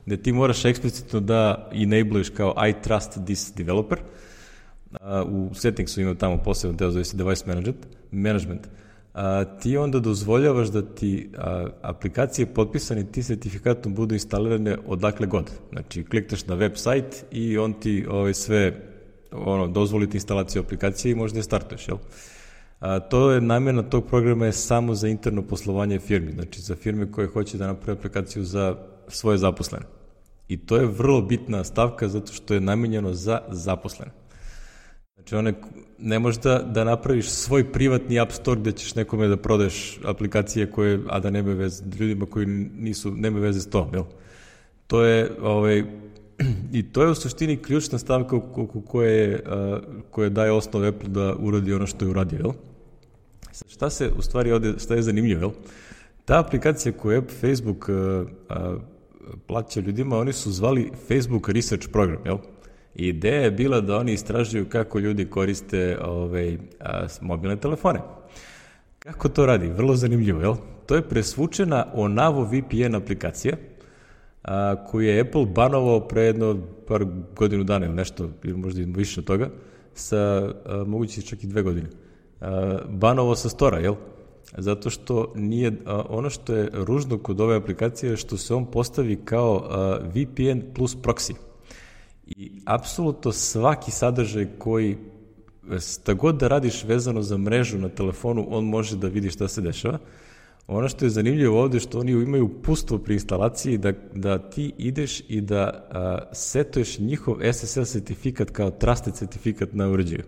[SPEAKER 1] gde ti moraš eksplicitno da enabluješ kao I trust this developer. U settingsu ima tamo posebno deo zove se device management. Ti onda dozvoljavaš da ti aplikacije potpisane ti sertifikatom budu instalirane odakle god. Znači, klikneš na web sajt i on ti sve dozvoli ti instalaciju aplikacije i možda je startuješ, jel? To je namjena tog programa je samo za interno poslovanje firmi, znači za firme koje hoće da naprave aplikaciju za svoje zaposlene. I to je vrlo bitna stavka zato što je namenjeno za zaposlene. Znači, ne možeš da napraviš svoj privatni app store gde ćeš nekome da prodaješ aplikacije koje, a da nema veze, ljudima koji nema veze s tom, jel? To je, i to je u suštini ključna stavka koja daje osnov Apple da uradi ono što je uradio, jel? Šta se u stvari ovde, šta je zanimljivo, jel? Ta aplikacija koju je Facebook plaća ljudima, oni su zvali Facebook Research Program, jel? I ideja je bila da oni istražuju kako ljudi koriste mobilne telefone. Kako to radi? Vrlo zanimljivo, jel? To je presvučena Onavo VPN aplikacija koju je Apple banovao pre jedno par godinu dana ili nešto, ili možda i više od toga, sa moguće čak i 2 godine. Banovao sa stora, jel? Zato što nije, ono što je ružno kod ove aplikacije je što se on postavi kao VPN plus proxy. I apsolutno svaki sadržaj koji, sta god da radiš vezano za mrežu na telefonu, on može da vidi šta se dešava. Ono što je zanimljivo ovde je što oni imaju upustvo pri instalaciji da ti ideš i da setuješ njihov SSL sertifikat kao trusted sertifikat na uređaju.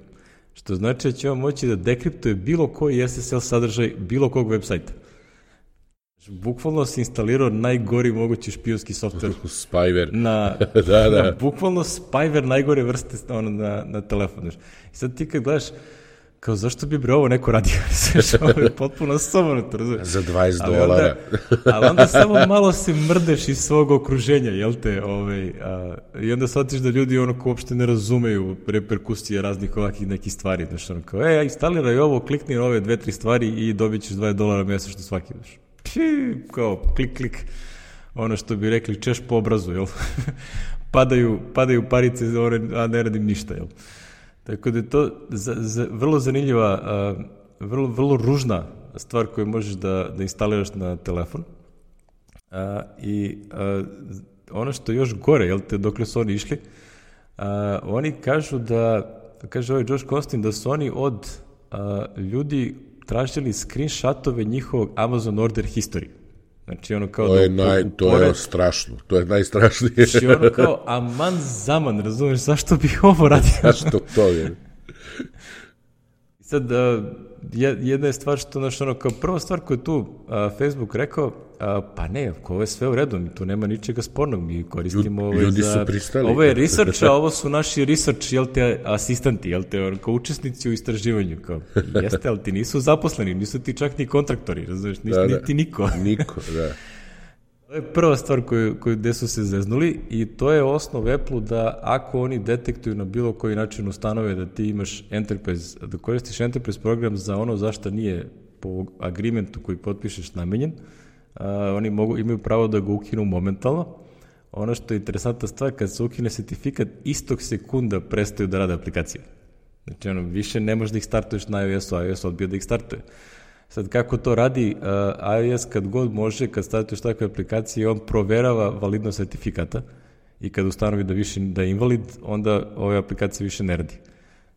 [SPEAKER 1] Što znači da će on moći da dekriptuje bilo koji SSL sadržaj bilo kog web sajta. Bukvalno si instalirao najgori mogući špijunski softver.
[SPEAKER 2] Spyware.
[SPEAKER 1] Da. Bukvalno spyware najgore vrste na telefon. I sad ti kad gledaš, kao zašto bi ovo neko radio? Ovo je potpuno somanuto, razumiješ?
[SPEAKER 2] Za $20.
[SPEAKER 1] Ali onda samo malo se mrdeš iz svog okruženja, jel te? I onda shvatiš da ljudi ko uopšte ne razumeju reperkusije raznih ovakih nekih stvari. Znaš, kao, instaliraj ovo, klikni ove 2-3 stvari i dobit ćeš $20 mesečno svaki, znaš. Kao klik, ono što bi rekli češ po obrazu, jel? padaju parice, a ne radim ništa, jel? Tako da je to vrlo zanimljiva, vrlo ružna stvar koju možeš da instaliraš na telefon. I ono što je još gore, jel te, dokle su oni išli, oni kažu kaže ovaj Josh Costin, da su oni od ljudi tražili screenshotove njihovog Amazon order history. Znači ono kao
[SPEAKER 2] to je strašno, to je najstrašnije.
[SPEAKER 1] Znači ono kao aman zaman, razumeš, zašto bih ovo radio?
[SPEAKER 2] Zašto to je?
[SPEAKER 1] I sad, jedna je stvar što, znaš, ono, kao prva stvar koju tu Facebook rekao, pa ne, ovo je sve u redu, tu nema ničega spornog, mi koristimo
[SPEAKER 2] ljudi su pristali.
[SPEAKER 1] Ovo je research, a ovo su naši research, jel te, asistanti, jel te, kao učesnici u istraživanju, kao, jeste, ali ti nisu zaposleni, nisu ti čak ni kontraktori, razumiješ, niti niko.
[SPEAKER 2] Niko, da.
[SPEAKER 1] To je prva stvar gde su se zeznuli i to je osnov Apple da ako oni detektuju na bilo koji način ustanove da ti imaš Enterprise, da koristiš Enterprise program za ono zašto nije po agreementu koji potpišeš namenjen, oni imaju pravo da ga ukinu momentalno. Ono što je interesantna stvar, kad se ukine sertifikat, istog sekunda prestaju da rade aplikacije. Znači, više ne možeš da ih startuješ na iOS-u, iOS odbio da ih startuje. Sad, kako to radi iOS kad god može, kad startuješ takve aplikacije, on proverava validnost sertifikata i kad ustanovi da je invalid, onda ove aplikacije više ne radi.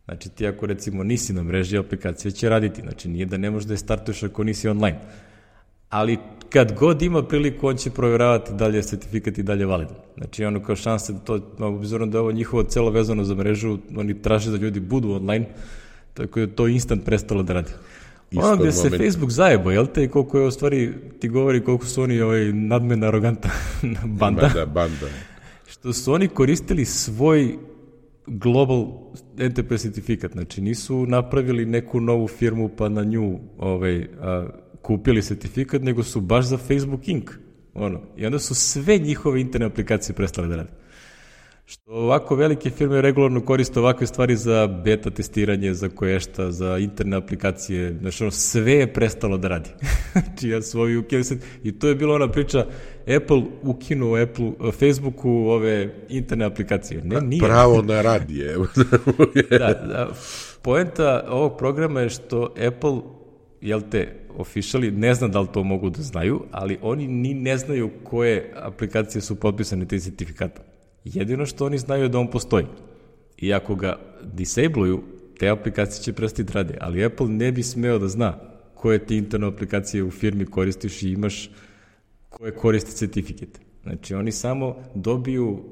[SPEAKER 1] Znači, ti ako recimo nisi na mreži, aplikacija će raditi. Znači, nije da ne možeš da je startuješ ako nisi online. Ali kad god ima priliku, on će proveravati da li je sertifikat i dalje validan. Znači, ono kao šanse da to, obzirom da je ovo njihovo celo vezano za mrežu, oni traže da ljudi budu online, tako da to instant prestalo da radi. Ono gde se Facebook zajebo, jel te, koliko je u stvari, ti govori koliko su oni nadmena, aroganta banda.
[SPEAKER 2] Banda.
[SPEAKER 1] Što su oni koristili svoj global enterprise certifikat, znači nisu napravili neku novu firmu pa na nju kupili sertifikat, nego su baš za Facebook Inc. I onda su sve njihove interne aplikacije prestale da rade. Što ovako velike firme regularno koriste ovakve stvari za beta testiranje, za koješta, za interne aplikacije, znači ono, sve je prestalo da radi. Znači ja su ovi ukinuli i to je bila ona priča, Apple ukinuo Facebooku ove interne aplikacije. Ne, nije.
[SPEAKER 2] Pravo na radije.
[SPEAKER 1] Da, poenta ovog programa je što Apple, jel te, officially, ne znam da li to mogu da znaju, ali oni ni ne znaju koje aplikacije su potpisane te sertifikata. Jedino što oni znaju je da on postoji. I ako ga disabluju, te aplikacije će prestati rade, ali Apple ne bi smeo da zna koje ti interne aplikacije u firmi koristiš i imaš koje koristi certifikate. Znači, oni samo dobiju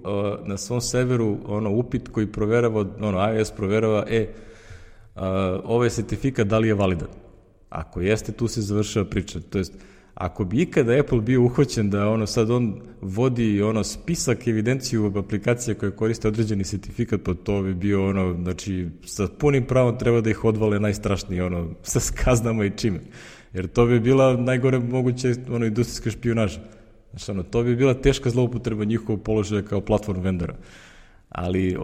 [SPEAKER 1] na svom serveru upit koji proverava, iOS proverava, ovaj sertifikat da li je validan. Ako jeste, tu se završava priča. To jest, ako bi ikada Apple bio uhvaćen da sad on vodi spisak, evidenciju aplikacija koje koriste određeni sertifikat, pa to bi bio znači sa punim pravom treba da ih odvale najstrašnije, sa kaznama i čime. Jer to bi bila najgore moguće industrijska špijunaža. Znači, to bi bila teška zloupotreba njihovog položaja kao platform vendora. Ali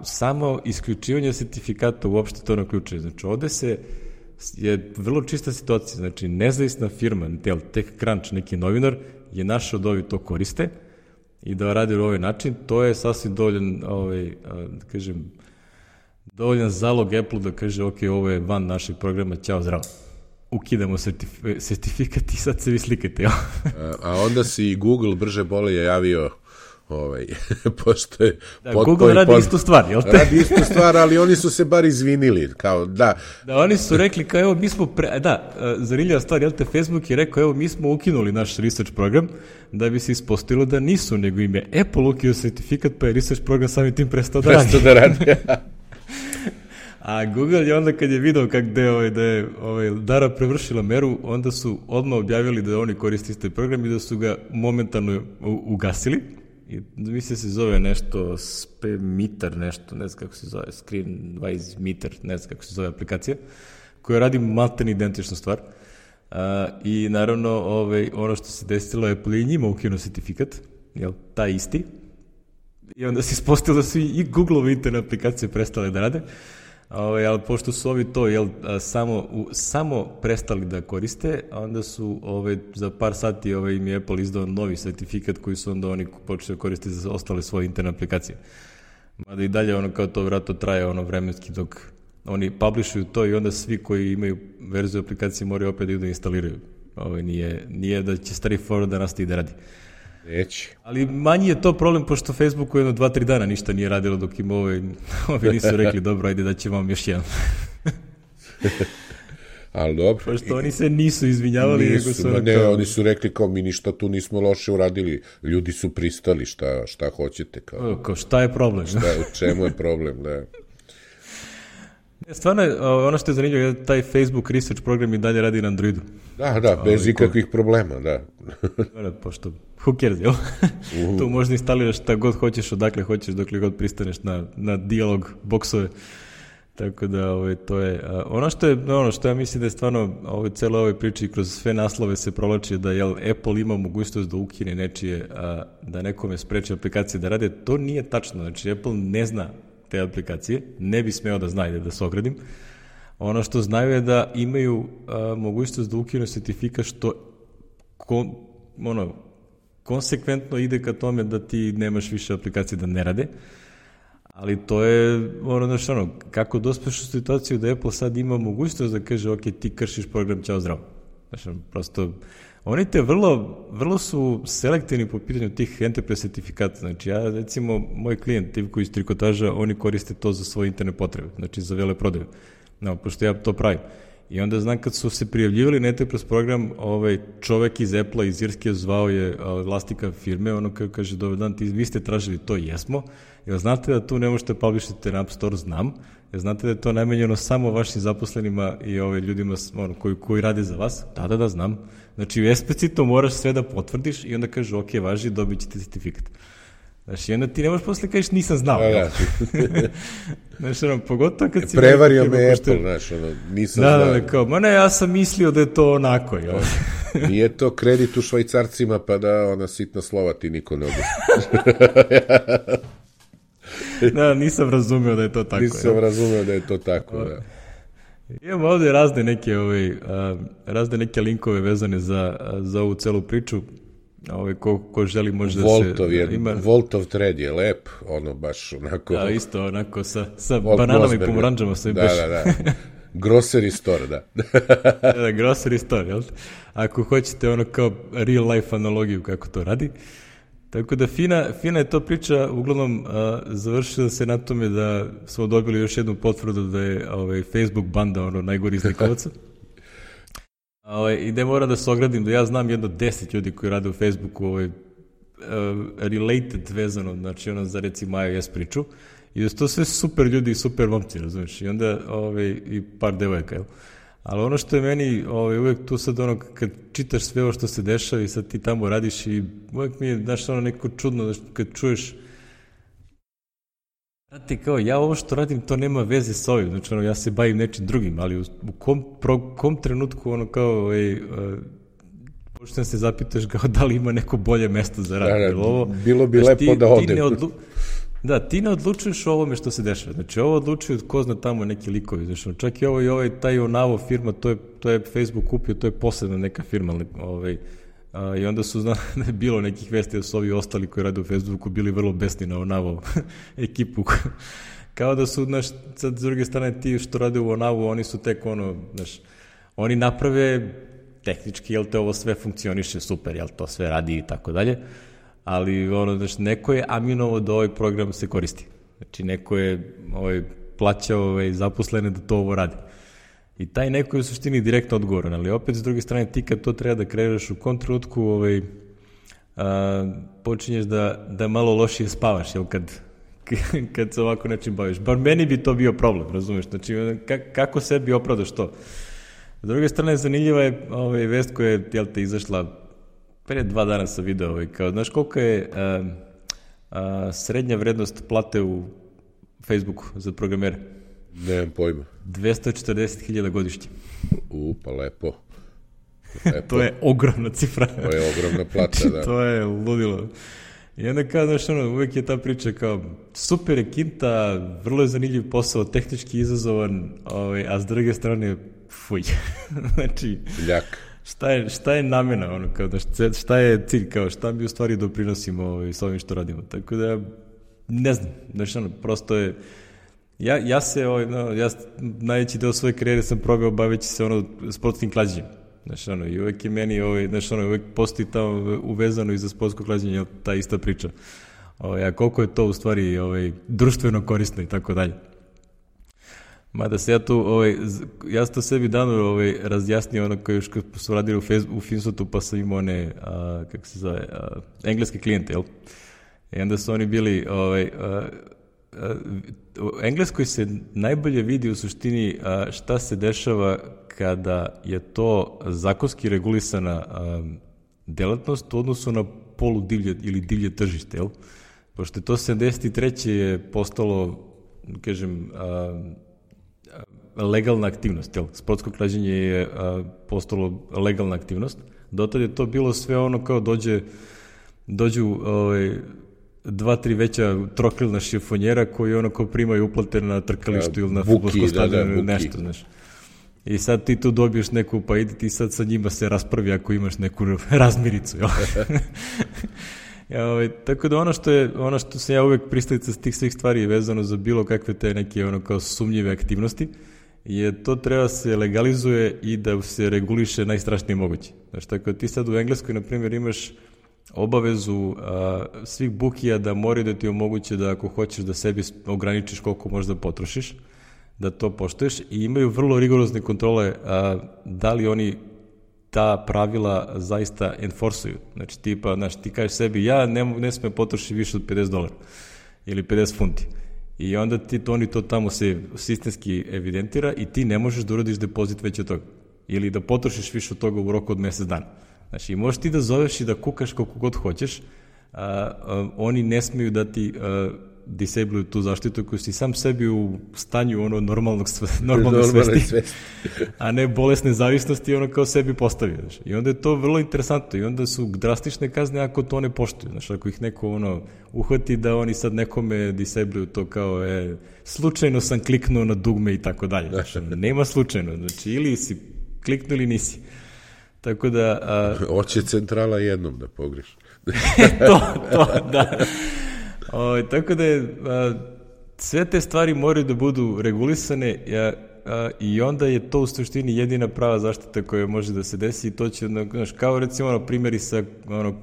[SPEAKER 1] samo isključivanje sertifikata uopšte to ne uključuje. Znači, ovde je vrlo čista situacija, znači nezavisna firma, TechCrunch, neki novinar, je našao da ovi to koriste i da radi na ovaj način, to je sasvim dovoljan, da kažem, dovoljan zalog Apple da kaže, ok, ovo je van našeg programa, ćao, zdravo. Ukidamo sertifikat i sad se vi slikate.
[SPEAKER 2] A onda si i Google brže bolje javio pošto je...
[SPEAKER 1] Google radi istu stvar, jel te?
[SPEAKER 2] Radi istu stvar, ali oni su se bar izvinili, kao da...
[SPEAKER 1] Da, oni su rekli kao, evo, mi smo... zanimljiva stvar, jel te, Facebook je rekao, evo, mi smo ukinuli naš research program, da bi se ispostavilo da nisu, nego im je Apple ukinuo sertifikat, pa je research program samim tim prestao da radi. A Google je onda kad je video da je Dara prevršila meru, onda su odmah objavili da oni koriste isti program i da su ga momentalno ugasili. I mislim se zove nešto Spemeter, nešto, ne znam kako se zove, Screenwise Meter, ne znam kako se zove aplikacija, koja radi maltene identičnu stvar. I naravno, ono što se desilo je Apple i njima ukinuo sertifikat, jel, taj isti. I onda se ispostavilo da su i Google-ove interne aplikacije prestale da rade. Ali pošto su ovi to samo prestali da koriste, onda su za par sati im je Apple izdao novi sertifikat koji su onda oni počeli koristiti za ostale svoje interne aplikacije. Mada i dalje kao to vratno traje vremenski dok oni publishuju to i onda svi koji imaju verziju aplikacije moraju opet da instaliraju. Nije da će straightforward da nastavi da radi.
[SPEAKER 2] Neći.
[SPEAKER 1] Ali manji je to problem, pošto Facebooku 2-3 dana ništa nije radilo dok im ovi nisu rekli, dobro, ajde da ćemo vam još jedan.
[SPEAKER 2] Ali dobro.
[SPEAKER 1] Pošto oni se nisu izvinjavali.
[SPEAKER 2] Oni su rekli kao mi ništa tu nismo loše uradili, ljudi su pristali, šta hoćete. Kao
[SPEAKER 1] šta je problem?
[SPEAKER 2] U čemu je problem, da.
[SPEAKER 1] Stvarno, ono što je zanimljivo je taj Facebook research program i dalje radi na Androidu.
[SPEAKER 2] Da, bez ikakvih problema, da.
[SPEAKER 1] Pošto, who cares, jel? Tu možda instaliraš šta god hoćeš, odakle hoćeš, dokle god pristaneš na dijalog boksove. Tako da, to je... Ono što ja mislim da je stvarno celo ovoj priči kroz sve naslove se provlači da Apple ima mogućnost da ukine nečije, da nekome spreči aplikacije da rade. To nije tačno. Znači, Apple ne zna te aplikacije, ne bi smeo da zna, da se ogradim. Ono što znaju je da imaju mogućnost da ukinu sertifikat što konsekventno ide ka tome da ti nemaš više aplikacije da ne rade, ali to je kako dospeš u situaciju da Apple sad ima mogućnost da kaže, ok, ti kršiš program, ćao, zdravo. Znači, prosto, oni te vrlo su selektivni po pitanju tih enterprise sertifikata. Znači, ja, recimo, moj klijent, Ivko iz Trikotaža, oni koriste to za svoje interne potrebe, znači za veleprodaju. Pošto ja to pravim. I onda znam kad su se prijavljivali na enterprise program, čovek iz Apple-a, iz Irske, zvao je vlasnika firme, ono kaže, dobar dan, vi ste tražili to, jesmo. Jel znate da tu ne možete publishati na App Store? Znam. Jel znate da je to namenjeno samo vašim zaposlenima i ljudima koji rade za vas? Da, znam. Znači, eksplicitno moraš sve da potvrdiš i onda kaže, ok, važi, dobit ćete sertifikat. Znači, onda ti ne možeš posle kažeš nisam znao. Znači, pogotovo kad si...
[SPEAKER 2] Prevario me Apple, znaš, nisam znao.
[SPEAKER 1] Da, kao, ja sam mislio da je to onako.
[SPEAKER 2] Nije to kredit u Švajcarcima, pa da ona sitna slova ti niko ne obiš.
[SPEAKER 1] Da, nisam razumeo da je to tako.
[SPEAKER 2] Nisam razumeo da je to tako, da.
[SPEAKER 1] Imamo ovde razne neke linkove vezane za ovu celu priču. Ko želi može
[SPEAKER 2] Voltov
[SPEAKER 1] da se...
[SPEAKER 2] Voltov thread je lep, ono baš onako...
[SPEAKER 1] Da, isto onako sa bananama i pomoranđama.
[SPEAKER 2] Da. Grocery store, da.
[SPEAKER 1] Da, grocery store, jel? Ako hoćete ono kao real life analogiju kako to radi. Tako da fina je to priča, uglavnom završila se na tome da smo dobili još jednu potvrdu da je Facebook banda ono najgori iz likovaca. I da moram da se ogradim da ja znam jedno 10 ljudi koji rade u Facebooku related vezano, znači ono za recimo iOS priču i da su to sve super ljudi i super momci, razumiješ, i onda i par devojaka, jel? Ali ono što je meni uvek tu sad ono kad čitaš sve ovo što se dešava i sad ti tamo radiš i uvek mi je, znaš, ono neko čudno kad čuješ znate, kao ja ovo što radim to nema veze s ovim, znači ono ja se bavim nečim drugim, ali u kom trenutku ono kao počnem se zapitaš kao da li ima neko bolje mesto za rad.
[SPEAKER 2] Bilo bi lepo da odem.
[SPEAKER 1] Ti ne odlučuješ o ovome što se dešava. Znači, ovo odlučuju ko zna tamo neki likovi. Znači, čak i taj Onavo firma, to je Facebook kupio, to je posebna neka firma. I onda su da je bilo nekih vesti da su ovi ostali koji rade u Facebooku bili vrlo besni na Onavo ekipu. Kao da su, znaš, sad s druge strane ti što rade u Onavu, oni su tek znaš, oni naprave tehnički, jel te ovo sve funkcioniše super, jel to sve radi i tako dalje. Ali znači, neko je aminovo da ovaj program se koristi. Znači, neko je plaćao zaposlene da to ovo radi. I taj neko je u suštini direktno odgovoran, ali opet s druge strane ti kad to treba da kreiraš u kontratutku, počinješ da malo lošije spavaš, jel, kad se ovako nečim baviš. Bar meni bi to bio problem, razumeš? Znači, kako sebi opravdaš to? S druge strane, zanimljiva je vest koja je, jel te, izašla pre 2 dana sam video, kao, znaš koliko je srednja vrednost plate u Facebooku za programere?
[SPEAKER 2] Nemam pojma.
[SPEAKER 1] 240.000 godišnje.
[SPEAKER 2] Pa lepo.
[SPEAKER 1] To je ogromna cifra.
[SPEAKER 2] To je ogromna plata, da.
[SPEAKER 1] To je ludilo. I onda kao, znaš, uvek je ta priča kao super je kinta, vrlo je zanimljiv posao, tehnički izazovan, a s druge strane, fuj. Znači... Ljak. Šta je namena, kao šta je cilj, kao šta mi u stvari doprinosimo s ovim što radimo, tako da ne znam, znači prosto je ja se, najveći deo svoje karijere sam probao baveći se sportskim klađenjem, znači i uvek je meni, znači uvek postoji tamo uvezano i za sportsko klađenje ta ista priča, a koliko je to u stvari društveno korisno i tako dalje. Mada se ja sam to sebi dano razjasnio kao još kad su radili u Finsotu pa sam imao kako se zove, engleske klijente, jel? I onda su oni bili, u Engleskoj se najbolje vidi u suštini šta se dešava kada je to zakonski regulisana delatnost u odnosu na poludivlje ili divlje tržište, jel? Pošto je to 73. je postalo, kažem, legalna aktivnost, jel? Sportsko klađenje je postalo legalna aktivnost. Dotad je to bilo sve kao dođu 2-3 veća trokrilna šifonjera koji kao primaju uplate na trkalištu ili na fudbalskom stadionu ili nešto, znaš. I sad ti tu dobiješ neku, pa idi ti sad sa njima se raspravi ako imaš neku razmiricu, jel? Tako da ono što sam ja uvek pristalica s tih svih stvari je vezano za bilo kakve te neke kao sumnjive aktivnosti, je to treba se legalizuje i da se reguliše najstrašnije moguće. Znači, tako da ti sad u Engleskoj, na primjer, imaš obavezu svih bukija da moraju da ti omoguće da ako hoćeš da sebi ograničiš koliko možda potrošiš, da to poštuješ i imaju vrlo rigorozne kontrole da li oni ta pravila zaista enforsuju. Znači, ti kažeš sebi, ja ne smem potrošiti više od $50 ili 50 funti. I onda oni to tamo se sistemski evidentira i ti ne možeš da uradiš depozit već od toga. Ili da potrošiš više od toga u roku od mesec dana. Znači, možeš ti da zoveš i da kukaš koliko god hoćeš, oni ne smeju da ti disabluju tu zaštitu koju si sam sebi u stanju ono normalne svesti, a ne bolesne zavisnosti ono kao sebi postavio. Znaš. I onda je to vrlo interesantno i onda su drastične kazne ako to ne poštuju. Znaš, ako ih neko ono uhvati da oni sad nekome disabluju to kao slučajno sam kliknuo na dugme i tako dalje. Znači, nema slučajno. Znači, ili si kliknuo ili nisi. Tako da...
[SPEAKER 2] Hoće centrala jednom da pogreši.
[SPEAKER 1] to, da. Tako da je, sve te stvari moraju da budu regulisane i onda je to u suštini jedina prava zaštita koja može da se desi i to će, znaš, kao recimo primjeri sa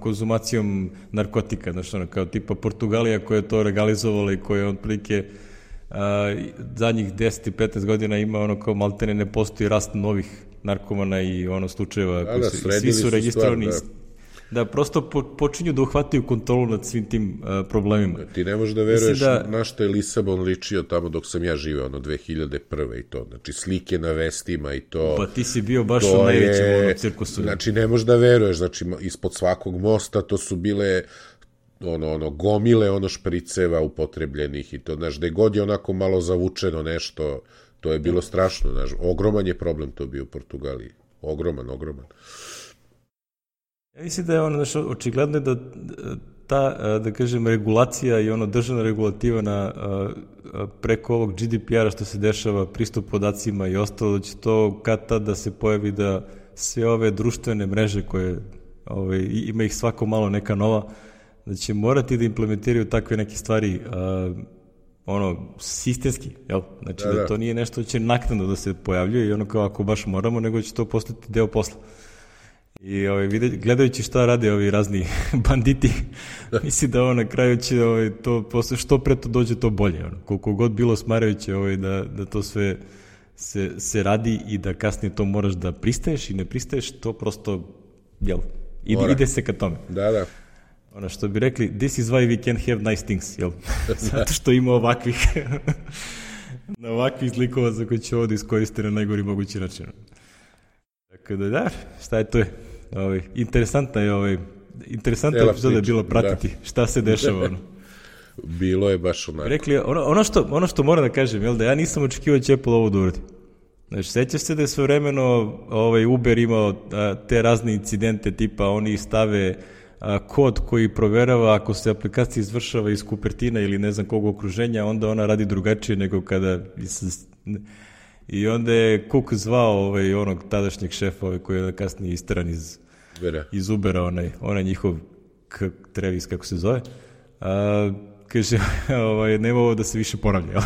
[SPEAKER 1] konzumacijom narkotika, znaš, kao tipa Portugalija koja je to legalizovala i koja je otprilike zadnjih 10 i 15 godina ima kao maltene ne postoji rast novih narkomana i slučajeva koji svi su registrovani. Da, prosto počinju da uhvataju kontrolu nad svim tim problemima.
[SPEAKER 2] Ti ne možeš da veruješ na što je Lisabon ličio tamo dok sam ja živeo, 2001. i to. Znači, slike na vestima i to.
[SPEAKER 1] Pa ti si bio baš u najvećem cirkusu.
[SPEAKER 2] Znači, ne možeš da veruješ. Znači, ispod svakog mosta to su bile gomile špriceva upotrebljenih i to, znaš, gde god je onako malo zavučeno nešto, to je bilo strašno, znaš. Ogroman je problem to bio u Portugaliji. Ogroman.
[SPEAKER 1] Ja mislim da je očigledno da ta, da kažem, regulacija i državna regulativa preko ovog GDPR-a što se dešava, pristup podacima i ostalo, da će to kad tad da se pojavi da sve ove društvene mreže koje ima ih svako malo neka nova, da će morati da implementiraju takve neke stvari sistemski, jel? Znači da to nije nešto će naknadno da se pojavljuje i kao ako baš moramo, nego će to postati deo posla. I gledajući šta rade ovi razni banditi, misli da na kraju će to posle što pre to dođe to bolje. Koliko god bilo smarajuće da to sve se radi i da kasnije to moraš da pristaješ i ne pristaješ, to prosto, jel, ide se ka tome.
[SPEAKER 2] Da.
[SPEAKER 1] Što bi rekli, this is why we can have nice things, jel? Zato što ima ovakvih zlikova za koje će ovo da iskoriste na najgori mogući način. Tako da, šta je to? Interesantna epizoda je bilo pratiti šta se dešava.
[SPEAKER 2] Bilo je baš onako.
[SPEAKER 1] Rekli, ono što moram da kažem, jel, da ja nisam očekivao će Apple ovo da uradi. Znači, sećaš se da je svojevremeno Uber imao te razne incidente, tipa oni stave kod koji proverava ako se aplikacija izvršava iz Cupertina ili ne znam kog okruženja, onda ona radi drugačije nego kada... I onda je Cook zvao onog tadašnjeg šefa koji je kasnije isteran iz Ubera, onaj njihov Travis, kako se zove. Kaže, nema ovo da se više ponavlja.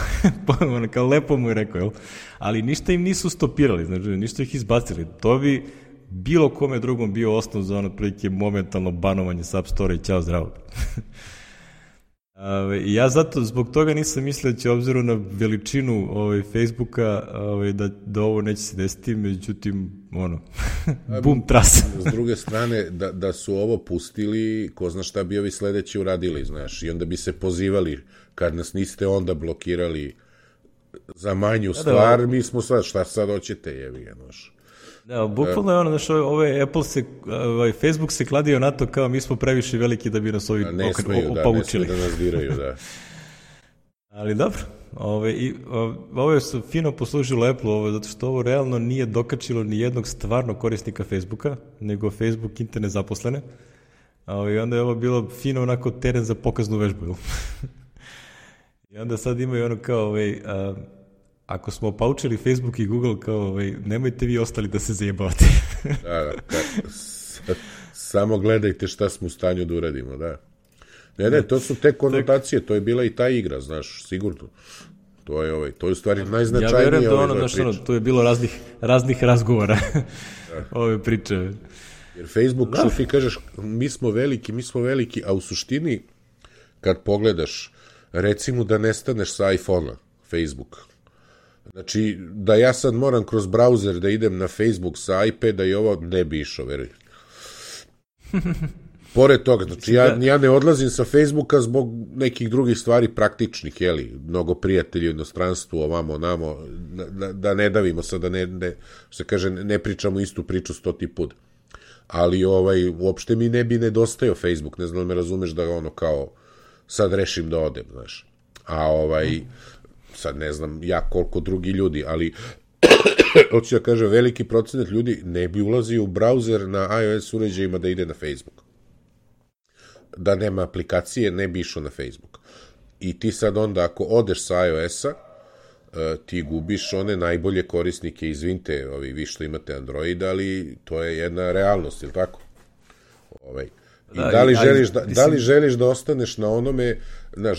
[SPEAKER 1] Kao lepo mu je rekao, jel? Ali ništa im nisu stopirali, znači ništa ih izbacili. To bi bilo kome drugom bio osnov za prilike momentalno banovanje sa App Store i ćao zdravo. Ja zato zbog toga nisam mislio da će obzirom na veličinu Facebooka da ovo neće se desiti, međutim bum tras.
[SPEAKER 2] S druge strane da su ovo pustili, ko zna šta bi ovi sledeći uradili, znaš, i onda bi se pozivali kad nas niste onda blokirali za manju stvar, mi smo sad, šta sad hoćete, jevi ga, znaš.
[SPEAKER 1] Da, bukvalno je znaš, Facebook se kladio na to kao mi smo previše veliki da bi nas ovi opaučili.
[SPEAKER 2] Ne smeju da nas diraju, da.
[SPEAKER 1] Ali dobro, ovo su fino poslužilo Apple, zato što ovo realno nije dokačilo ni jednog stvarno korisnika Facebooka, nego Facebook internet zaposlene. I onda je ovo bilo fino onako teren za pokaznu vežbu. I onda sad imaju kao ako smo opaučili Facebook i Google, kao nemojte vi ostali da se zajebavate.
[SPEAKER 2] Da, samo gledajte šta smo u stanju da uradimo, da. Ne, to su te konotacije, to je bila i ta igra, znaš, sigurno. To je u stvari najznačajnije ove priče.
[SPEAKER 1] To je bilo raznih razgovora ove priče.
[SPEAKER 2] Jer Facebook, što ti kažeš, mi smo veliki, a u suštini, kad pogledaš, recimo da nestaneš sa iPhone-a, Facebook, znači, da ja sad moram kroz brauzer da idem na Facebook sa iPada i ovo ne bi išao, veruj. Pored toga, znači, ja ne odlazim sa Facebooka zbog nekih drugih stvari praktičnih, jeli, mnogo prijatelji u inostranstvu, ovamo, namo, da ne davimo sad, se kaže, ne pričamo istu priču 100 put. Ali, uopšte mi ne bi nedostajao Facebook, ne znam da me razumeš da kao sad rešim da odem, znaš. A sad ne znam ja koliko drugi ljudi, ali hoću da kažem, veliki procenat ljudi ne bi ulazio u brauzer na iOS uređajima da ide na Facebook. Da nema aplikacije, ne bi išao na Facebook. I ti sad onda, ako odeš sa iOS-a, ti gubiš one najbolje korisnike, izvinite, vi što imate Android, ali to je jedna realnost, ili tako? I da li želiš da ostaneš na onome,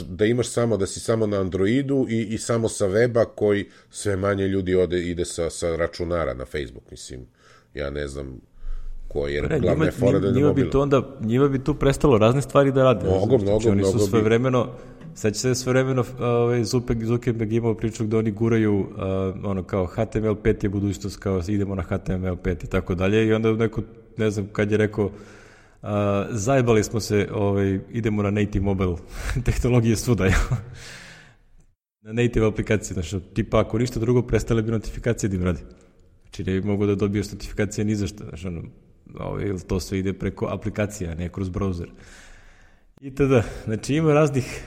[SPEAKER 2] da imaš samo, da si samo na Androidu i samo sa weba, koji sve manje ljudi ide sa računara na Facebook, mislim, ja ne znam koji je glavna je fora da ne mobila.
[SPEAKER 1] Njima bi tu prestalo razne stvari da rade.
[SPEAKER 2] Mnogo
[SPEAKER 1] oni su sve vremeno, sad će se sve vremeno Zuckerberg imao priču da oni guraju kao HTML5 je budućnost, kao idemo na HTML5 i tako dalje, i onda neko, ne znam kad je rekao, zajebali smo se, idemo na native mobile tehnologije svuda, na native aplikacije, znači, tipa ako ništa drugo, prestale bi notifikacije da im radi. Znači, ne bi mogo da dobiješ notifikacije ni za što, znači, to sve ide preko aplikacija, ne kroz browser. I tada, znači, ima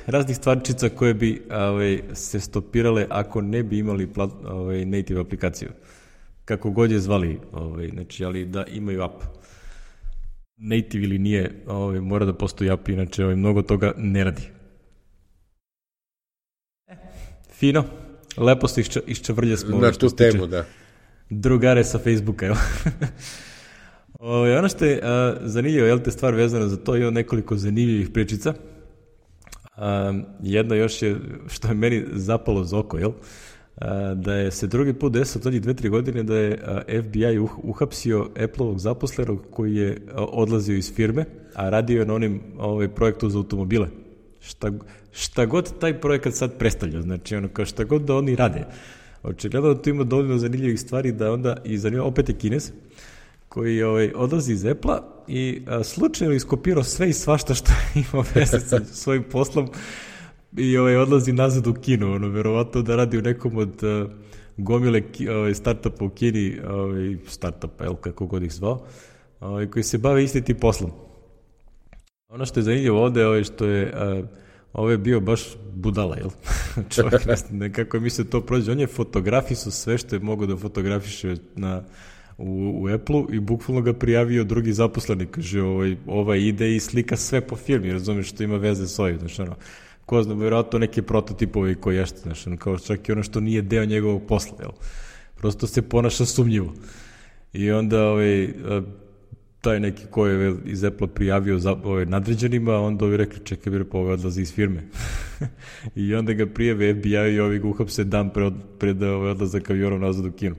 [SPEAKER 1] raznih stvarčica koje bi se stopirale ako ne bi imali native aplikaciju. Kako god je zvali, znači, ali da imaju app. Native ili nije, mora da postoji app, inače mnogo toga ne radi. Fino, lepo se iščavrlje smo.
[SPEAKER 2] Na tu temu, da.
[SPEAKER 1] Drugare sa Facebooka, evo. Ono što je zanimljivo, te stvar vezana za to, ima nekoliko zanimljivih pričica. Jedna još je, što je meni zapalo za oko, da je se drugi put desilo zadnjih 2-3 godine da je FBI uhapsio Apple-ovog zaposlenog koji je odlazio iz firme, a radio je na onim projektu za automobile. Šta god taj projekat sad predstavlja, znači kao šta god da oni rade. Očigledno da tu ima dovoljno zanimljivih stvari da onda, i zanimljivo, opet je Kinez, koji odlazi iz Apple-a i slučajno iskopirao sve i svašta što ima veze sa svojim poslom i odlazi nazad u Kinu, verovatno da radi u nekom od gomile startupa u Kini, startupa, kako god ih zvao, koji se bave isti tim poslom. Ono što je zanimljivo ovde, što je ovo je bio baš budala, čovjek nekako mi se to prođe. On je fotografisao sve što je mogao da fotografiše u Apple-u i bukvalno ga prijavio drugi zaposleni. Kaže, ide i slika sve po firmi, razumiješ, što ima veze s ovim, znači ko zna, vjerojatno neki prototipovi koji ješte, znači kao čak i ono što nije deo njegovog posla, prosto se ponaša sumnjivo. I onda taj neki ko je iz Apple prijavio nadređenima, onda ovi rekli, čekaj, pa odlazi iz firme. I onda ga prijave FBI i ovi ga uhapse dan pred odlazak avionom nazad u Kinu.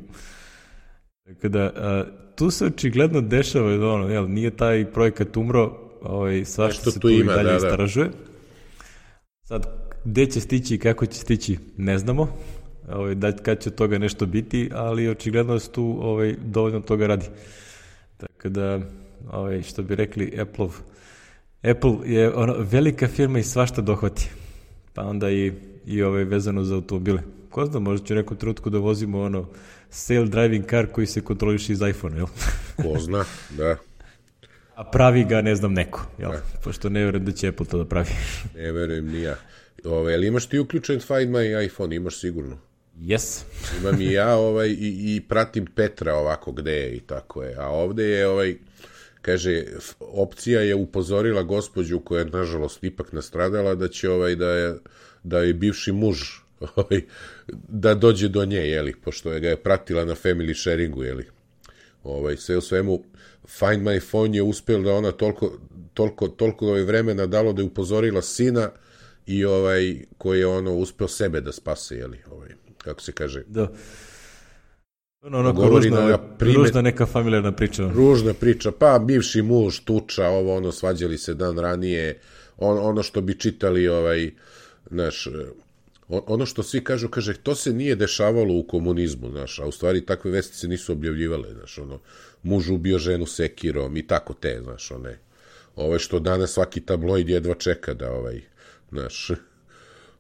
[SPEAKER 1] Tako da, tu se očigledno dešava, nije taj projekat umro, svašta se tu i dalje istražuje. Sad, gde će stići i kako će stići, ne znamo, kad će toga nešto biti, ali očigledno se tu dovoljno toga radi. Tako da, što bi rekli, Apple je velika firma i svašta dohvati. Pa onda i vezano za automobile. Ko zna, možda će u nekom trenutku da vozimo self-driving car koji se kontroliše iz iPhone, jel?
[SPEAKER 2] Ko zna, da.
[SPEAKER 1] A pravi ga, ne znam, neko, jel? Pošto ne verujem da će Apple to da pravi.
[SPEAKER 2] Ne verujem ni ja. Ali imaš ti uključen Find My iPhone, imaš sigurno.
[SPEAKER 1] Yes.
[SPEAKER 2] Imam i ja i pratim Petra ovako gde je i tako je. A ovde je kaže, opcija je upozorila gospođu koja je nažalost ipak nastradala da će da je bivši muž da dođe do nje, pošto ga je pratila na family sharingu, sve u svemu Find My Phone je uspeo da ona toliko vremena dalo da je upozorila sina i koji je uspeo sebe da spase, kako se kaže.
[SPEAKER 1] Da. Ružna neka familijarna priča.
[SPEAKER 2] Ružna priča, pa bivši muž, tuča, svađali se dan ranije, ono što bi čitali, ono što svi kažu, to se nije dešavalo u komunizmu, a u stvari takve vesti se nisu objavljivale, muž ubio ženu sekirom i tako te, što danas svaki tabloid jedva čeka da,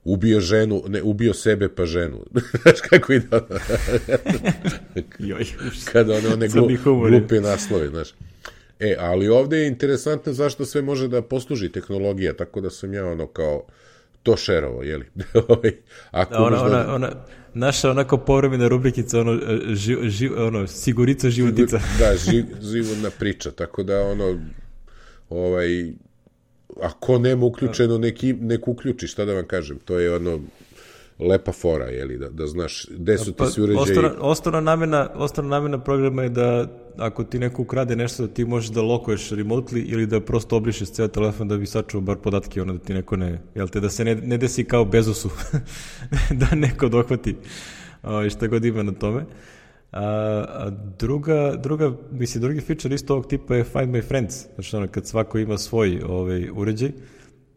[SPEAKER 2] ubio ženu, ne, ubio sebe pa ženu. Znaš kako ide? Kada one glupe naslove, znaš. Ali ovde je interesantno zašto sve može da posluži tehnologija, tako da sam ja kao to šerovo, jeli? Ako
[SPEAKER 1] naša onako povremena rubrikica, sigurica životica.
[SPEAKER 2] Da, životna priča, tako da ako nema uključeno, nek uključi, šta da vam kažem, to je lepa fora, jeli, da znaš gde su ti svi uređaji.
[SPEAKER 1] Osnovna namena programa je da ako ti neko ukrade nešto, da ti možeš da lokuješ remotely ili da prosto obrišeš ceo telefon da bi sačuvao bar podatke, da ti neko da se ne desi kao Bezosu, da neko dohvati šta god ima na tome. Drugi feature isto ovog tipa je Find My Friends, znači kad svako ima svoj uređaj,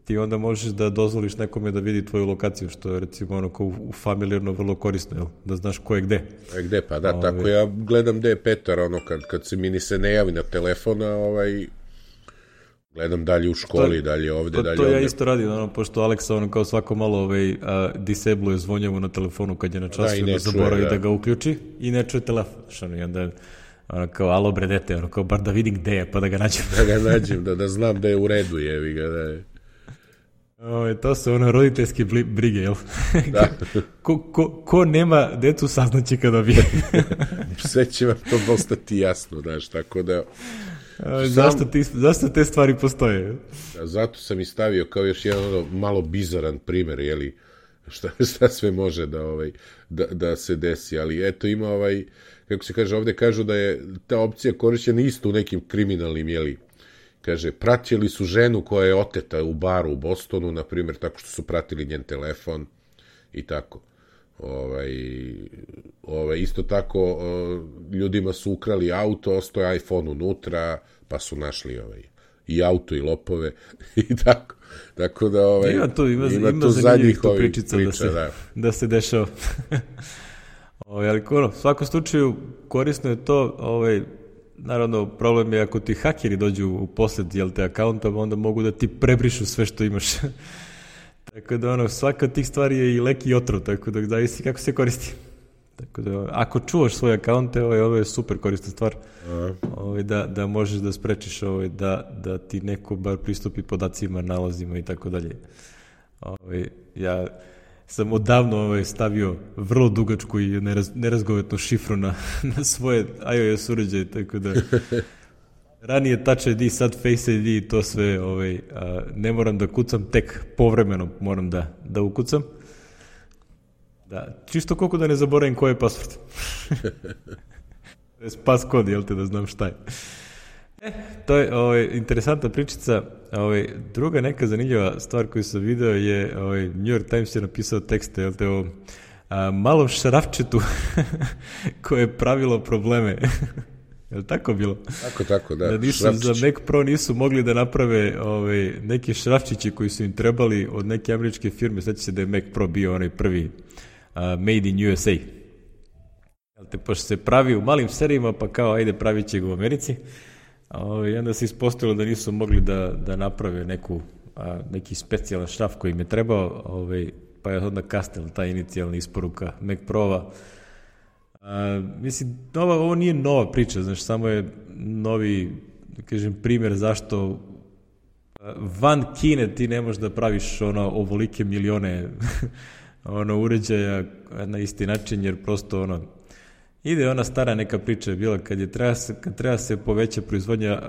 [SPEAKER 1] ti onda možeš da dozvoliš nekome da vidi tvoju lokaciju, što je recimo u familijarno vrlo korisno, jel? Da znaš ko je gde.
[SPEAKER 2] Gde, pa da, tako ja gledam gde je Petar, kad se mi se ne javi na telefona, gledam dalje u školi, dalje ovde, dalje ovde.
[SPEAKER 1] To ja isto radim, pošto Aleksa kao svako malo disabluje zvonjavu na telefonu kad je na času, i ne zaboravi da ga uključi i ne čuje telefon. I onda kao, alo bre dete, kao bar da vidim gde je, pa da ga nađem.
[SPEAKER 2] Da ga nađem, da znam da je u redu, jevi ga, da je.
[SPEAKER 1] To su roditeljske brige, jel?
[SPEAKER 2] Da.
[SPEAKER 1] Ko nema decu saznaće kad dobije.
[SPEAKER 2] Sve će vam to postati jasno, znaš, tako da...
[SPEAKER 1] Zašto te stvari postoje?
[SPEAKER 2] Zato sam i stavio kao još jedan malo bizaran primer, jeli, šta sve može da se desi, ali eto ima kako se kaže, ovde kažu da je ta opcija korišćena isto u nekim kriminalnim, jeli, kaže, pratili su ženu koja je oteta u baru u Bostonu, na primjer, tako što su pratili njen telefon i tako. Isto tako, ljudima su ukrali auto, ostao je iPhone unutra, pa su našli i auto i lopove i tako. Tako da ima tu zadnjih
[SPEAKER 1] priča, da se dešava. Ali u svakom slučaju korisno je to, naravno, problem je ako ti hakeri dođu u posjed akaunta, onda mogu da ti prebrišu sve što imaš. Tako da svaka od tih stvari je i lek i otrov, tako da zavisi kako se koristi. Tako da, ako čuvaš svoje akaunte, ovo je super korisna stvar, da možeš da sprečiš da ti neko bar pristupi podacima, nalazima i tako dalje. Ja sam odavno stavio vrlo dugačku i nerazgovetnu šifru na svoje iOS uređaje, tako da ranije Touch ID, sad Face ID i to sve, ne moram da kucam, tek povremeno moram da ukucam. Da, čisto koliko da ne zaboravim koji je password. To je pas kod, jel te, da znam šta je. To je interesantna pričica. Druga neka zanimljiva stvar koju sam video je, New York Times je napisao tekste, jel te, o malom šrafčetu koje je pravilo probleme. Je li tako bilo?
[SPEAKER 2] Tako, da.
[SPEAKER 1] Za Mac Pro nisu mogli da naprave neke šrafčiće koji su im trebali od neke američke firme. Sveća se da je Mac Pro bio onaj prvi Made in USA. Pošto se pravi u malim serijima, pa kao, ajde, pravit će ga u Americi. I onda se ispostavilo da nisu mogli da naprave neki specijalan šraf koji im je trebao, pa je onda kasnila ta inicijalna isporuka Mac Pro-ova. Mislim, ovo nije nova priča, znaš, samo je novi, da kažem, primjer zašto van Kine ti ne možeš da praviš ovolike milione uređaja na isti način, jer prosto ide ona stara neka priča je bila kad treba se poveća proizvodnja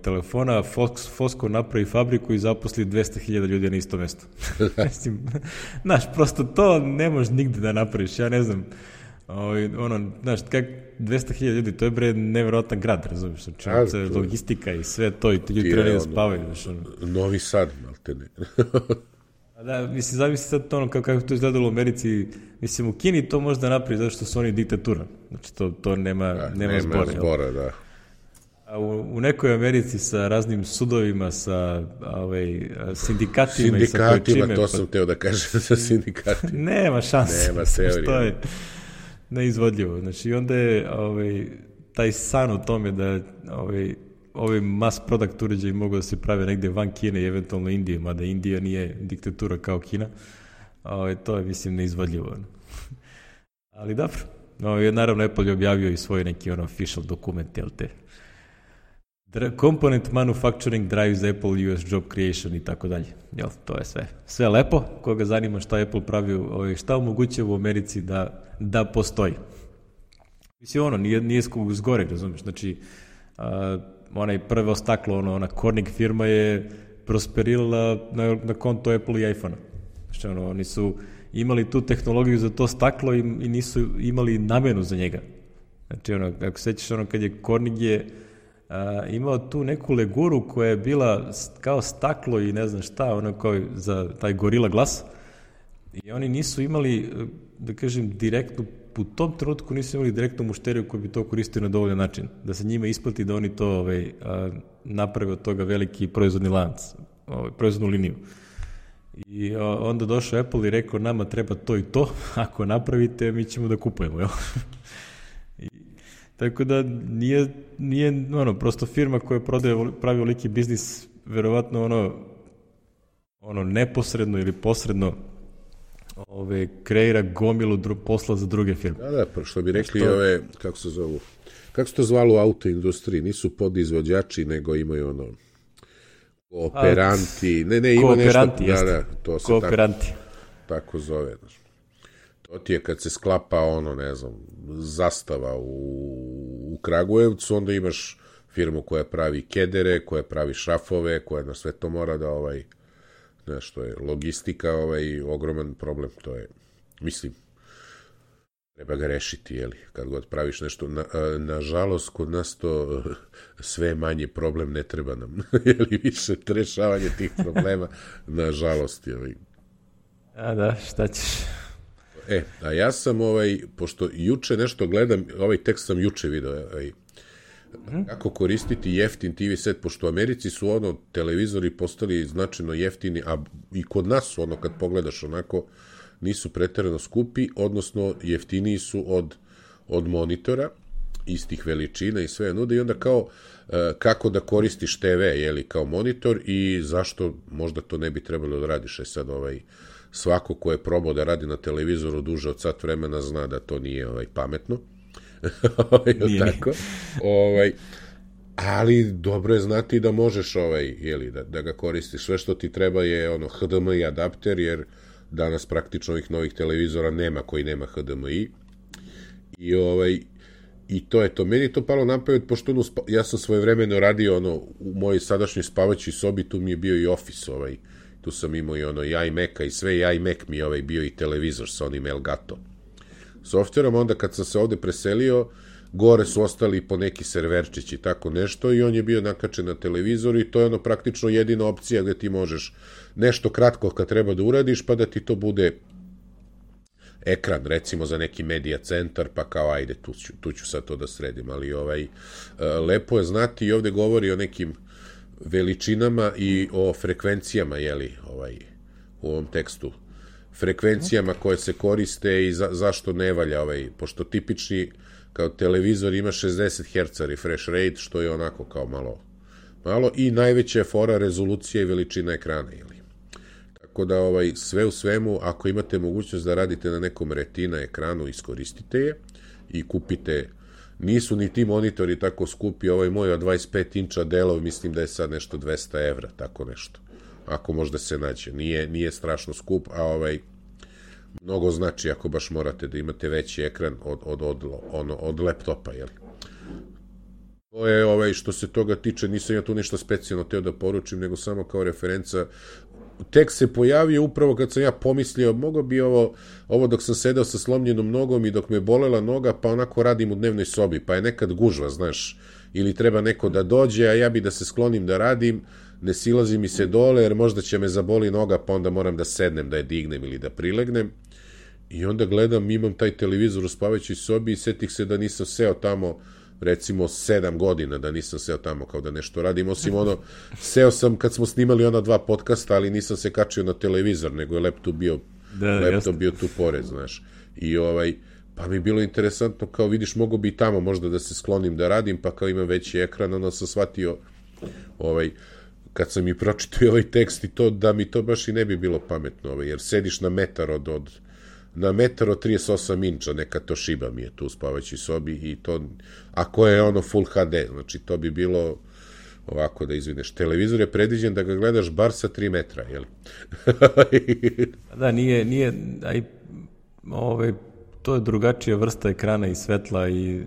[SPEAKER 1] telefona, Foxconn napravi fabriku i zaposli 200.000 ljudi na isto mesto. Mislim, znaš, prosto to ne možeš nigde da napraviš, ja ne znam. Znaš, 200.000 ljudi, to je bre nevjerovatno grad, razumiješ, logistika i sve to, i ti ljudi trebali da spavaju.
[SPEAKER 2] Novi Sad, malte ne.
[SPEAKER 1] Da, mislim, zamisli sad to kako to izgledalo u Americi, mislim, u Kini to možda napravi zato što su oni diktatura, znači to nema zbora.
[SPEAKER 2] Da.
[SPEAKER 1] A u nekoj Americi sa raznim sudovima, sa sindikatima i sa koječime...
[SPEAKER 2] to sam teo da kažem, sa sindikatima.
[SPEAKER 1] Nema šanse.
[SPEAKER 2] Nema teorije.
[SPEAKER 1] To je neizvodljivo. Znači, i onda je taj san o tome da ovi mass product uređaji mogu da se prave negde van Kine i eventualno Indije, mada Indija nije diktatura kao Kina. To je, mislim, neizvodljivo. Ali dobro. Naravno, Apple je objavio i svoj neki official dokument, jel te? Component manufacturing drives Apple US job creation i tako dalje. Jel, to je sve. Sve lepo, koga zanima šta Apple pravi, šta omogućava u Americi da postoji. Mislim, nije zgore, razumiješ, znači, onaj prvo staklo, ona Corning firma je prosperirala na konto Apple i iPhone-a. Znači, oni su imali tu tehnologiju za to staklo i nisu imali namenu za njega. Znači, ako sećaš, kad je Corning je imao tu neku leguru koja je bila kao staklo i ne znam šta, kao za taj Gorilla Glass, i oni nisu imali, da kažem, direktnu, u tom trenutku nisu imali direktnu mušteriju koji bi to koristio na dovoljan način, da se njima isplati da oni to naprave od toga veliki proizvodni lanac, proizvodnu liniju. I onda došao Apple i rekao, nama treba to i to, ako napravite, mi ćemo da kupujemo, jel? Tako da nije prosto firma koja pravi veliki biznis, verovatno neposredno ili posredno kreira gomilu posla za druge firme.
[SPEAKER 2] Da, što bi rekli kako se zovu, kako se to zvalo u autoindustriji, nisu podizvođači, nego imaju kooperanti, ima nešto, da, to se tako zove, to ti je kad se sklapa zastava u Kragujevcu, onda imaš firmu koja pravi kedere, koja pravi šrafove, koja na sve to mora da što je logistika, ogroman problem, to je, mislim, treba ga rešiti, jeli, kad god praviš nešto, nažalost, kod nas to sve manje problem, ne treba nam, jeli, više rešavanje tih problema, nažalost, jeli.
[SPEAKER 1] A da, šta ćeš?
[SPEAKER 2] A ja sam, pošto juče nešto gledam, ovaj tekst sam juče video, kako koristiti jeftin TV set, pošto u Americi su televizori postali značajno jeftini, a i kod nas su kad pogledaš nisu preterano skupi, odnosno jeftiniji su od monitora, istih veličina i sve nude, i onda kao kako da koristiš TV, jeli, kao monitor i zašto možda to ne bi trebalo da radiš. Sad svako ko je probao da radi na televizoru duže od sat vremena zna da to nije pametno. Tako. Ali dobro je znati da možeš da ga koristiš. Sve što ti treba je HDMI adapter, jer danas praktično ovih novih televizora nema koji nema HDMI. I to je to. Meni to palo na pamet, pošto ja sam svojevremeno radio u mojoj sadašnjoj spavaćoj sobi, tu mi je bio i Office, tu sam imao i iMac-a i sve, i iMac mi je bio i televizor sa onim Elgato softverom. Onda kad sam se ovde preselio, gore su ostali po neki serverčići, tako nešto, i on je bio nakačen na televizoru i to je praktično jedina opcija gde ti možeš nešto kratko kad treba da uradiš, pa da ti to bude ekran, recimo za neki medija centar, pa kao ajde, tu ću sad to da sredim, ali lepo je znati, i ovde govori o nekim veličinama i o frekvencijama, jeli, u ovom tekstu, frekvencijama koje se koriste i zašto ne valja, pošto tipični kao televizor ima 60 Hz refresh rate, što je onako kao malo, i najveća je fora rezolucija i veličina ekrana, jeli. Tako da sve u svemu, ako imate mogućnost da radite na nekom retina ekranu, iskoristite je i kupite. Nisu ni ti monitori tako skupi, ovaj moj od 25 inča Dellov, mislim da je sad nešto 200 evra, tako nešto. Ako možda se nađe. Nije strašno skup, a mnogo znači ako baš morate da imate veći ekran od laptopa, jel? To je što se toga tiče, nisam ja tu ništa specijalno teo da poručim, nego samo kao referenca. Tek se pojavio upravo kad sam ja pomislio, mogo bi ovo dok sam sedeo sa slomljenom nogom i dok me bolela noga, pa onako radim u dnevnoj sobi, pa je nekad gužva, znaš, ili treba neko da dođe, a ja bi da se sklonim da radim, ne silazi mi se dole, jer možda će me zaboli noga, pa onda moram da sednem, da je dignem ili da prilegnem. I onda gledam, imam taj televizor u spavaćoj sobi i setih se da nisam seo tamo, recimo 7 godina da nisam seo tamo kao da nešto radim, osim seo sam kad smo snimali 2 podcasta, ali nisam se kačio na televizor, nego je laptop bio tu pored, znaš. I pa mi je bilo interesantno, kao vidiš, mogo bi i tamo možda da se sklonim da radim, pa kao imam veći ekran, onda sam shvatio, kad sam i pročitao ovaj tekst i to, da mi to baš i ne bi bilo pametno, jer sediš na metar od 38 inča, neka Toshiba mi je tu u spavaćoj sobi, i to, ako je full HD, znači to bi bilo ovako da izvineš. Televizor je predviđen da ga gledaš bar sa 3 metra, jel?
[SPEAKER 1] Da, nije, to je drugačija vrsta ekrana i svetla i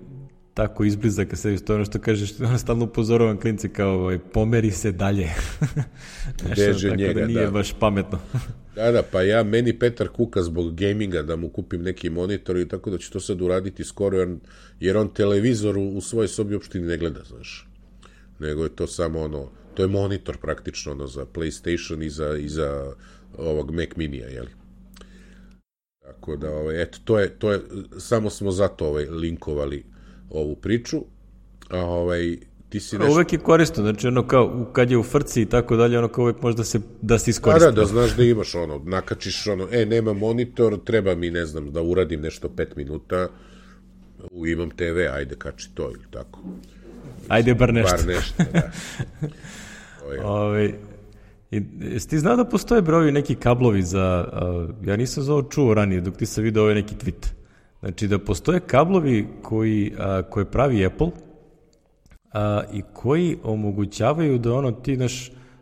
[SPEAKER 1] tako izbliza kad se, to je ono što kažeš, stalno upozoravam klinci kao, pomeri se dalje.
[SPEAKER 2] Beže
[SPEAKER 1] tako
[SPEAKER 2] njega,
[SPEAKER 1] da nije baš pametno.
[SPEAKER 2] Da, pa meni Petar kuka zbog gaminga da mu kupim neki monitor i tako da ću to sad uraditi skoro, jer on televizor u svojoj sobi uopšte ne gleda, znaš. Nego je to samo to je monitor praktično za PlayStation i za ovog Mac Minija, jeli? Tako da, eto, to je, samo smo zato linkovali ovu priču, a ti si nešto...
[SPEAKER 1] Uvek je korisno, znači kao kad je u frci i tako dalje, kao uvek može da se iskoristi.
[SPEAKER 2] Da znaš da imaš nakačiš nema monitor, treba mi, ne znam, da uradim nešto 5 minuta, imam TV, ajde kači to ili tako.
[SPEAKER 1] Ajde bar nešto.
[SPEAKER 2] Bar nešto, da.
[SPEAKER 1] Jesi ti znao da postoje broji neki kablovi za, ja nisam za ovo čuo ranije dok ti sam vidio neki tweet, znači da postoje kablovi koje pravi Apple i koji omogućavaju da ti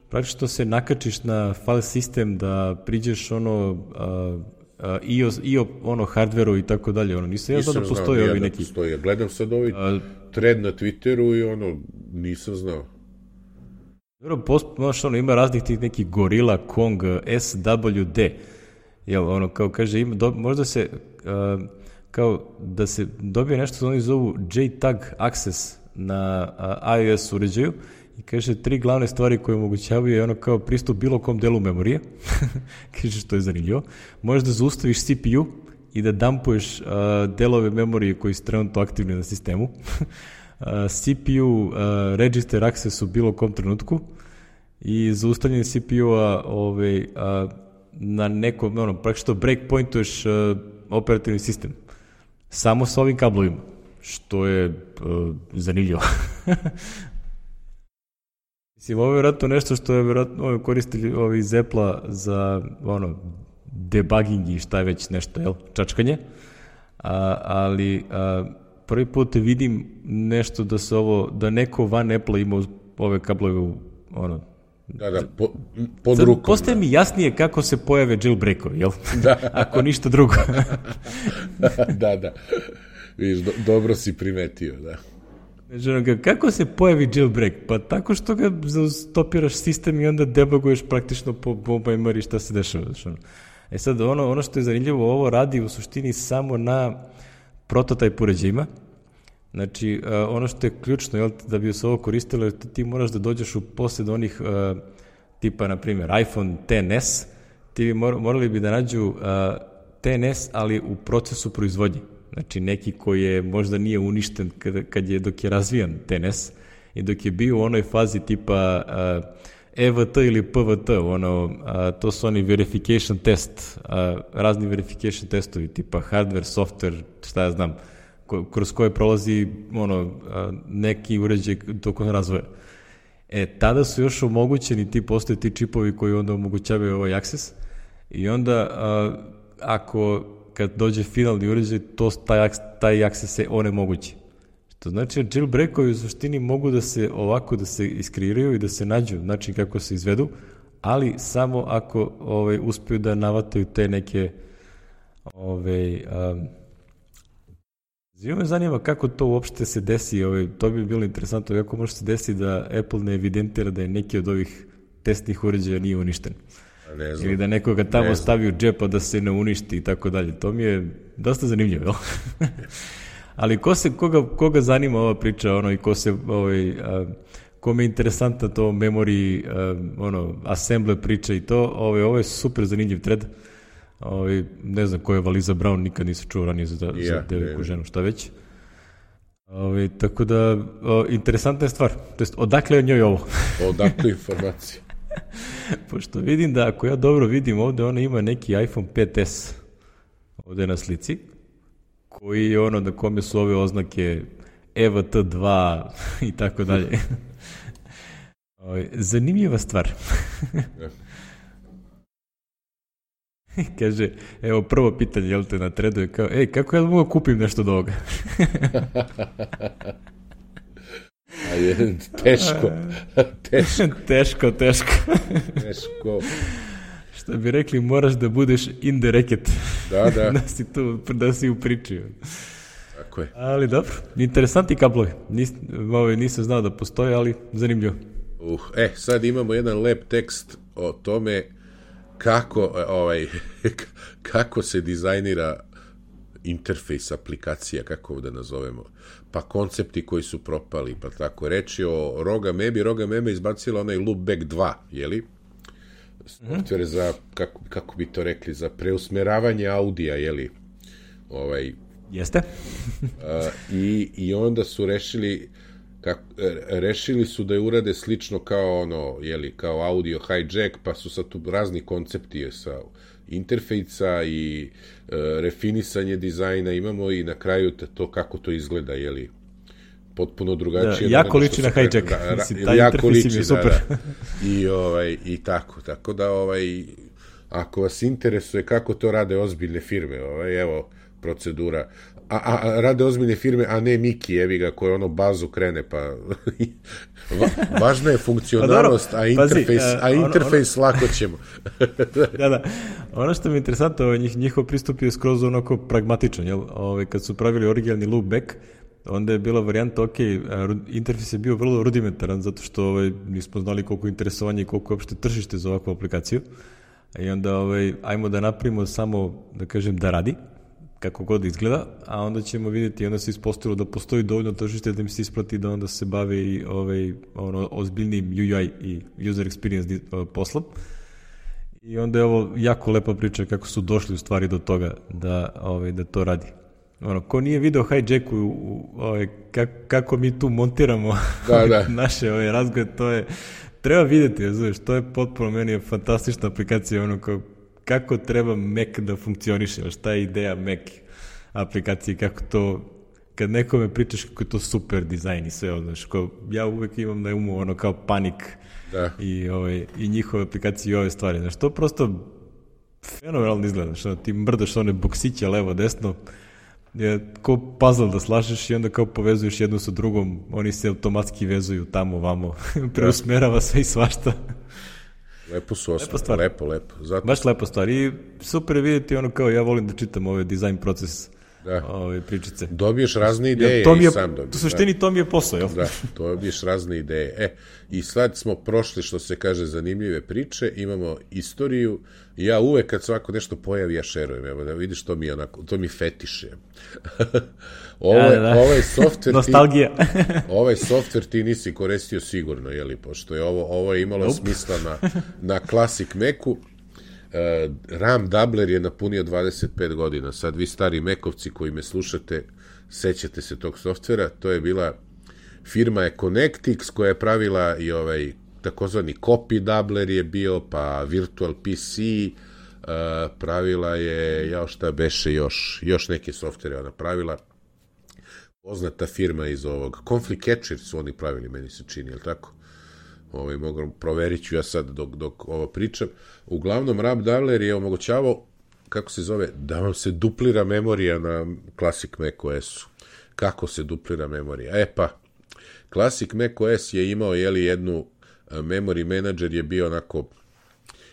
[SPEAKER 1] praktično se nakačiš na file sistem, da priđeš hardveru i tako dalje, nisam ja znao da postoje ovi neki.
[SPEAKER 2] Postoje. Gledam sad ovaj thread na Twitteru i nisam znao.
[SPEAKER 1] Ima raznih tih nekih Gorilla, Kong, SWD, jel, kao kaže, možda se, kao da se dobije nešto što oni zovu JTAG access na iOS uređaju i kaže 3 glavne stvari koje omogućavaju je kao pristup bilo kom delu memorije, kaže što je zanimljivo, možeš da zaustaviš CPU i da dumpuješ delove memorije koji su trenutno aktivni na sistemu, CPU register access u bilo kom trenutku i zaustavljanje CPU-a na nekom, praktično breakpointuješ operativni sistem. Samo sa ovim kablovima, što je zanimljivo. Mislim, ovo je vjerojatno nešto što je vjerojatno koristili ovi iz Apple-a za debugging i šta je već nešto, jel, čačkanje, ali prvi put vidim nešto da neko van Apple ima ove kablove
[SPEAKER 2] pod rukom.
[SPEAKER 1] Postaje mi jasnije kako se pojave jailbreakovi, jel? Da. Ako ništa drugo.
[SPEAKER 2] Da. Viš, dobro si primetio, da.
[SPEAKER 1] Znači, kako se pojavi jailbreak? Pa tako što ga stopiraš sistem i onda debuguješ praktično po memory šta se dešava. Sad, ono što je zanimljivo, ovo radi u suštini samo na prototype uređajima. Znači, ono što je ključno, jel, da bi se ovo koristilo, ti moraš da dođeš u posjed onih tipa, na primjer, iPhone XS, ti morali bi da nađu XS, ali u procesu proizvodnje. Znači, neki koji je možda nije uništen dok je razvijan XS i dok je bio u onoj fazi tipa EVT ili PVT, to su oni verification test, razni verification testovi, tipa hardware, software, šta ja znam, kroz koje prolazi neki uređaj tokom razvoja. Tada su još omogućeni, postoje ti čipovi koji onda omogućavaju ovaj access i onda kad dođe finalni uređaj, taj access se onemogući. To znači da jailbreakovi u suštini mogu da se ovako da se iskreiraju i da se nađu način kako se izvedu, ali samo ako uspiju da navataju te neke me zanima kako to uopšte se desi, to bi bilo interesantno, kako može se desiti da Apple ne evidentira da je neki od ovih testnih uređaja nije uništen. Ili da nekoga tamo stavi u džepa da se ne uništi i tako dalje. To mi je dosta zanimljivo, jel? Ali koga zanima ova priča, i kome je interesantna to memory, assembler priča i to, ovo je super zanimljiv thread. Ne znam ko je Valiza Brown, nikad nisam čuo ranije za devojku ženu, šta već. Tako da, interesantna je stvar. To jest, odakle je njoj ovo?
[SPEAKER 2] Odakle informacije?
[SPEAKER 1] Pošto vidim da, ako ja dobro vidim ovde, ona ima neki iPhone 5S ovde na slici, koji je na kome su ove oznake EVT2 i tako dalje. Zanimljiva stvar. Kaže, evo prvo pitanje, jel te na threadu je kao, kako ja mogu kupim nešto od ovoga?
[SPEAKER 2] Teško.
[SPEAKER 1] Teško. Što bi rekli, moraš da budeš in the racket.
[SPEAKER 2] Da.
[SPEAKER 1] Da si u priči.
[SPEAKER 2] Tako je.
[SPEAKER 1] Ali dobro, interesantni kablovi. Nisam znao da postoje, ali zanimljivo.
[SPEAKER 2] Sad imamo jedan lep tekst o tome kako se dizajnira interfejs aplikacija, kako da nazovemo, pa koncepti koji su propali, pa tako reći o Roga Meme izbacila onaj Loopback 2, jeli? Software za, kako bi to rekli, za preusmeravanje audija, jeli?
[SPEAKER 1] Jeste.
[SPEAKER 2] I onda su rešili su da je urade slično kao kao audio hijack, pa su sad tu razni koncepti sa interfejsa i refinisanje dizajna imamo i na kraju to kako to izgleda, jeli, potpuno drugačije.
[SPEAKER 1] Jako liči na hijack. Jako liči, super.
[SPEAKER 2] I tako da ako vas interesuje kako to rade ozbiljne firme, evo procedura. A rade ozbiljne firme, a ne Miki, evi ga, koji bazu krene, pa važna je funkcionalnost, a interfejs lako ćemo.
[SPEAKER 1] Da. Ono što mi je interesantno, njihov pristup je skroz onako pragmatičan, jel? Kad su pravili originalni loopback, onda je bila varijanta, interfejs je bio vrlo rudimentaran, zato što nismo znali koliko interesovanja i koliko je uopšte tržište za ovakvu aplikaciju. I onda ajmo da napravimo samo, da kažem, da radi, kako god izgleda, a onda ćemo vidjeti, onda se ispostavilo da postoji dovoljno tržište da im se isplati da onda se bave i ozbiljnim UI i user experience poslom. I onda je ovo jako lepa priča kako su došli u stvari do toga da to radi. Ko nije video hijacku, kako mi tu montiramo naše razgovore, to je, treba vidjeti, znaš, to je potpuno, meni je fantastična aplikacija, kako treba Mac da funkcioniše, šta je ideja Mac aplikacije, kako to, kad nekome pričaš kako je to super dizajn i sve, znaš, ja uvek imam na umu kao panik i njihove aplikacije i ove stvari, znaš, to prosto fenomenalno izgleda, znaš, ti mrdaš one boksiće levo, desno, je kao puzzle da slažeš i onda kao povezuješ jednu sa drugom, oni se automatski vezuju tamo, vamo, preusmerava sve i svašta.
[SPEAKER 2] Lepo su ostali, lepo.
[SPEAKER 1] Baš lepo stvar i super je vidjeti kao ja volim da čitam ove dizajn proces pričice.
[SPEAKER 2] Dobiješ razne ideje i sam dobiješ.
[SPEAKER 1] U suštini to mi je posao, jel?
[SPEAKER 2] Da, dobiješ razne ideje. I sad smo prošli, što se kaže, zanimljive priče, imamo istoriju i ja uvek kad svako nešto pojavi, ja šerujem, evo da vidiš, to mi fetiše. Ovaj softver
[SPEAKER 1] nostalgija.
[SPEAKER 2] Ovaj softver ti nisi koristio sigurno, jeli, pošto je ovo je imalo smisla na Classic Macu. RAM Doubler je napunio 25 godina. Sad vi stari Mac-ovci koji me slušate, sećate se tog softvera. To je bila firma Connectix koja je pravila i takozvani Copy Doubler je bio, pa Virtual PC, pravila je, šta beše još neke softvere ona pravila. Poznata firma iz ovog Conflict Catcher su oni pravili, meni se čini, je li tako? Proverit ću ja sad dok ovo pričam. Uglavnom, RAM Doubler je omogućavao, kako se zove, da vam se duplira memorija na Classic Mac OS-u. Kako se duplira memorija? Classic Mac OS je imao, jednu memory manager je bio onako,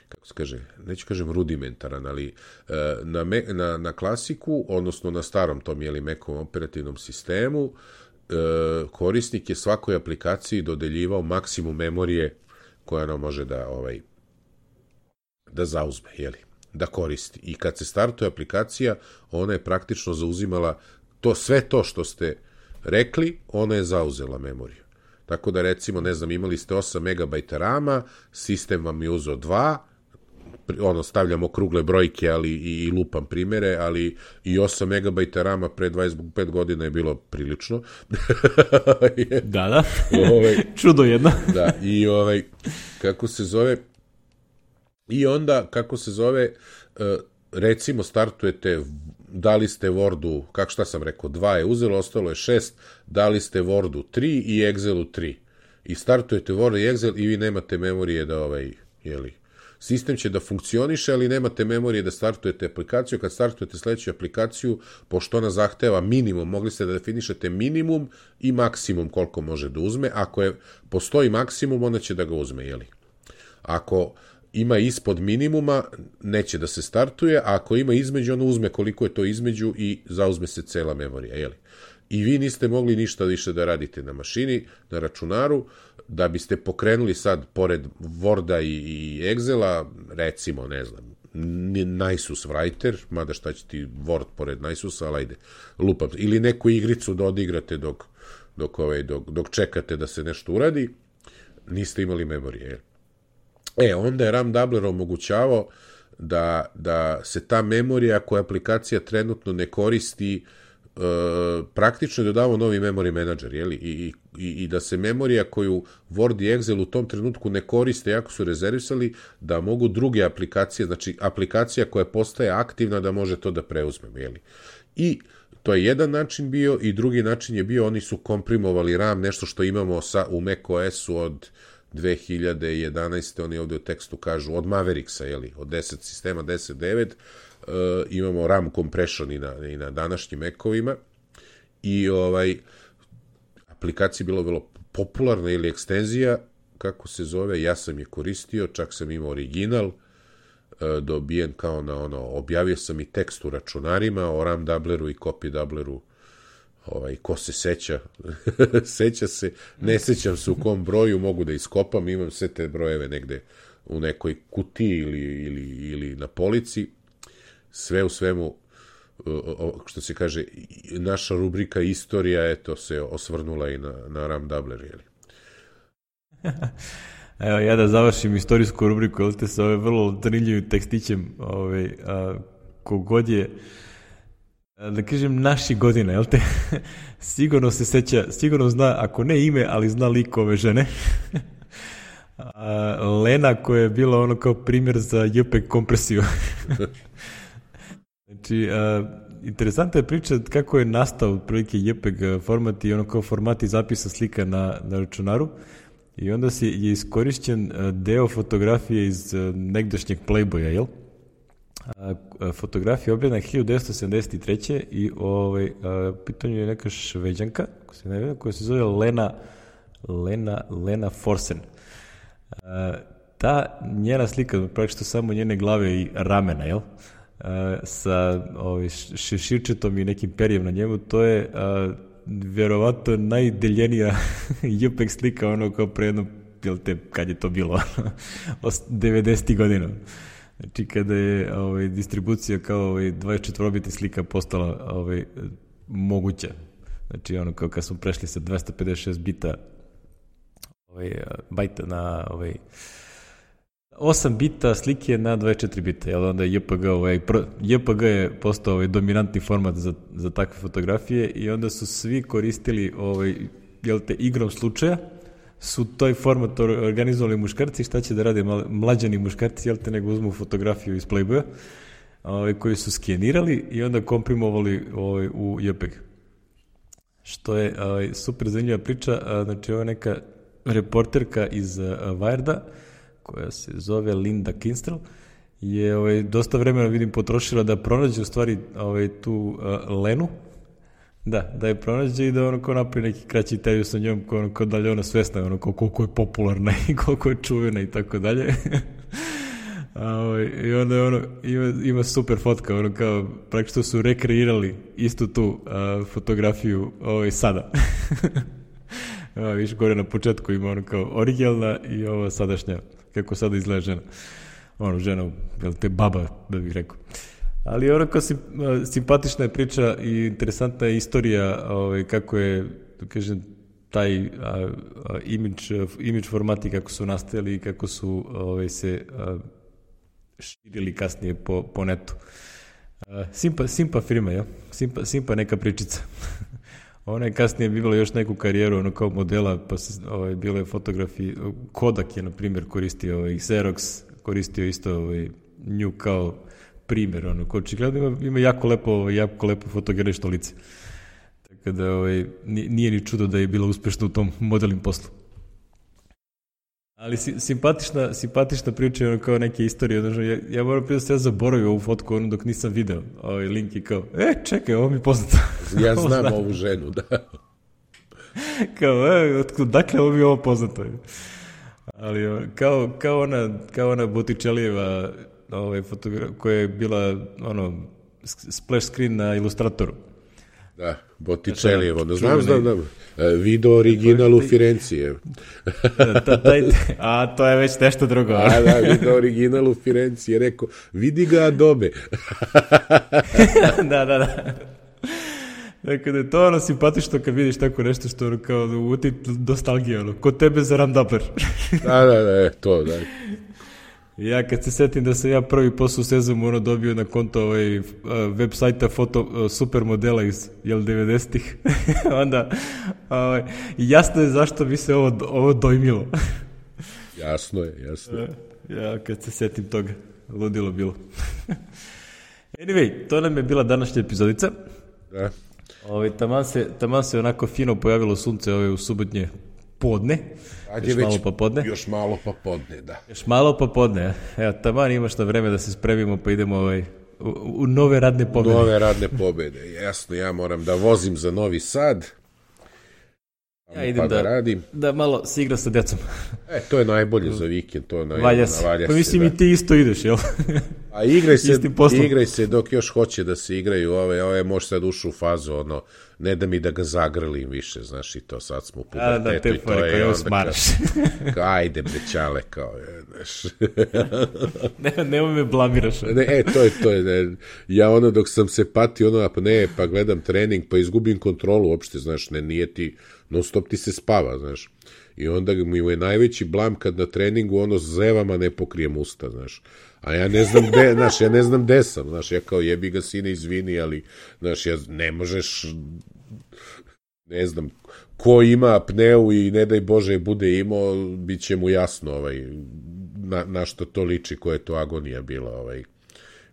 [SPEAKER 2] kako se kaže, neću kažem rudimentaran, ali na klasiku, odnosno na starom tom, Macovom operativnom sistemu, korisnik je svakoj aplikaciji dodeljivao maksimum memorije koja ona može da zauzme, da koristi. I kad se startuje aplikacija, ona je praktično zauzimala sve to što ste rekli, ona je zauzela memoriju. Tako da, recimo, ne znam, imali ste 8 MB RAM-a, sistem vam je uzeo 2, stavljamo krugle brojke, ali i lupam primere, ali i 8 MB RAM-a pre 25 godina je bilo prilično.
[SPEAKER 1] Da. Čudo jedno.
[SPEAKER 2] Da, i kako se zove, recimo startujete, dali ste Wordu, šta sam rekao, 2 je uzelo, ostalo je 6, dali ste Wordu 3 i Excelu 3. I startujete Word i Excel i vi nemate memorije da sistem će da funkcioniše, ali nemate memorije da startujete aplikaciju. Kad startujete sledeću aplikaciju, pošto ona zahteva minimum, mogli ste da definišete minimum i maksimum koliko može da uzme. Ako postoji maksimum, onda će da ga uzme, jeli? Ako ima ispod minimuma, neće da se startuje, a ako ima između, ono uzme koliko je to između i zauzme se cela memorija, jeli? I vi niste mogli ništa više da radite na mašini, na računaru, da biste pokrenuli sad, pored Worda i Excela, recimo, ne znam, Nisus Writer, mada šta će ti Word pored Nisusa, ali ajde, lupam, ili neku igricu da odigrate dok čekate da se nešto uradi, niste imali memorije. Onda je RAM doubler omogućavao da se ta memorija koja aplikacija trenutno ne koristi, praktično je dodavao novi memory manager, jeli? I da se memorija koju Word i Excel u tom trenutku ne koriste, jako su rezervisali, da mogu druge aplikacije, znači aplikacija koja postaje aktivna da može to da preuzme, jeli? I to je jedan način bio, i drugi način je bio, oni su komprimovali RAM, nešto što imamo u macOS-u od 2011. Oni ovde u tekstu kažu od Mavericksa, jeli? Od 10 sistema 10.9, imamo RAM compression i na današnjim Mac-ovima, i aplikacija je bilo vrlo popularna, ili ekstenzija, kako se zove, ja sam je koristio, čak sam imao original, dobijen kao na objavio sam i tekst u računarima o RAM doubleru i copy doubleru, ko se seća, seća se, ne sećam se u kom broju, mogu da iskopam, imam sve te brojeve negde u nekoj kutiji ili na polici. Sve u svemu, što se kaže, naša rubrika istorija, se osvrnula i na RAM doubler, jeli?
[SPEAKER 1] Evo, ja da završim istorijsku rubriku, jel te, sa vrlo zanimljivim tekstićem, kogod je, da kažem, naših godina, jel te, sigurno se seća, sigurno zna, ako ne ime, ali zna lik ove žene. Lena, koja je bila kao primjer za JPEG kompresiju. Znači, interesantna je priča kako je nastao otprilike JPEG format i kao formati zapisa slika na računaru, i onda je iskorišćen deo fotografije iz negdašnjeg Playboya, jel? Fotografija objavljena 1973. i pitanju je neka Šveđanka koja se zove Lena Forsen. Ta njena slika, praktično samo njene glave i ramena, jel? Sa šeširčetom i nekim perijem na njemu, to je vjerovatno najdeljenija JPEG slika, kao pre jedno, jel te, kad je to bilo, 90. godina. Znači, kada je distribucija kao 24-biti slika postala moguća. Znači, kao kad smo prešli sa 256 bajta na 8 bita slike na 24 bita, jel? Onda je JPG je postao dominantni format za takve fotografije, i onda su svi koristili jel te, igrom slučaja, su toj format organizovali muškarci. Šta će da rade mlađani muškarci, jel te, nego uzmu fotografiju iz Playboya, koji su skenirali i onda komprimovali u JPEG. Što je super zanimljiva priča. Znači, ovo je neka reporterka iz Wired-a, koja se zove Linda Kinstrel, je dosta vremena, vidim, potrošila da pronađe u stvari tu Lenu, da je pronađe i da kao napravi neki kraći intervju sa njom, kao da li je ona svesna, koliko je popularna i koliko je čuvena i tako dalje. I onda ima super fotka, kao praktično su rekreirali istu tu fotografiju sada. Viš, gore na početku ima kao originalna i ova sadašnja, kako sada izgleda žena. Žena, jel te, baba, da bih rekao. Ali kao simpatična je priča i interesantna je istorija kako je, da kažem, taj imidž formati kako su nastajali i kako su se širili kasnije po netu. Simpa firma, jel? Simpa neka pričica. Ona je kasnije bila još neku karijeru kao modela, pa se bile fotografije. Kodak je, na primjer, koristio Xerox, koristio isto nju kao primjer. Očigledno ima jako lepo fotogenično lice. Tako da nije ni čudo da je bila uspešna u tom modelnim poslu. Ali simpatična priča, ono kao neke istorije. Znači, ja moram prije da se ja zaboravio ovu fotku ono dok nisam video. Ovaj link i kao, čekaj, ovo mi je poznato.
[SPEAKER 2] Ja znam ovu ženu, da.
[SPEAKER 1] Kao, dakle, ovo mi je ovo poznato. Ali kao ona Botticellijeva koja je bila splash screen na Ilustratoru.
[SPEAKER 2] Da, Botticellijevo, da znam. Video original u Firenci.
[SPEAKER 1] A to je već nešto drugo.
[SPEAKER 2] Da, video original u Firenci je rekao, vidi ga Adobe.
[SPEAKER 1] Da. Dakle, da je to simpatično kad vidiš tako nešto što kao da uti nostalgija, kod tebe za Ramdapler.
[SPEAKER 2] Da, to, da.
[SPEAKER 1] Ja kad se setim da sam ja prvi posao u sezonu dobio na konto web sajta foto supermodela iz 90-ih, onda jasno je zašto bi se ovo dojmilo.
[SPEAKER 2] Jasno je.
[SPEAKER 1] Ja kad se setim toga, ludilo bilo. Anyway, to nam je bila današnja epizodica.
[SPEAKER 2] Da.
[SPEAKER 1] Taman se onako fino pojavilo sunce u subotnje podne.
[SPEAKER 2] Još malo pa podne, da.
[SPEAKER 1] Još malo pa podne. Evo, taman imaš na vreme da se spremimo pa idemo u nove radne pobede.
[SPEAKER 2] Nove radne pobede, jasno. Ja moram da vozim za Novi Sad.
[SPEAKER 1] Ja idem da
[SPEAKER 2] radim.
[SPEAKER 1] Da malo se igra sa decom.
[SPEAKER 2] To je najbolje za vikend.
[SPEAKER 1] Valja se. Pa mislim i ti isto ideš, jel?
[SPEAKER 2] A igraj se dok još hoće da se igraju. Ove može sad ušu u fazu, ne da mi da ga zagrlim više, znaš, i to sad smo u pubertetu i to je onda
[SPEAKER 1] smaraš.
[SPEAKER 2] Ajde brećale, kao je, znaš.
[SPEAKER 1] Nemoj me blamiraš.
[SPEAKER 2] To je. Ja dok sam se patio, pa gledam trening, pa izgubim kontrolu uopšte, znaš, nije ti, non stop ti se spava, znaš. I onda mi je najveći blam kad na treningu zevama ne pokrijem usta, znaš. A ja ne znam gde sam, znaš, ja kao jebi ga sine, izvini, ali, znaš, ne možeš, ne znam, ko ima apneu i ne daj Bože bude imao, bit će mu jasno, na što to liči, koja je to agonija bila,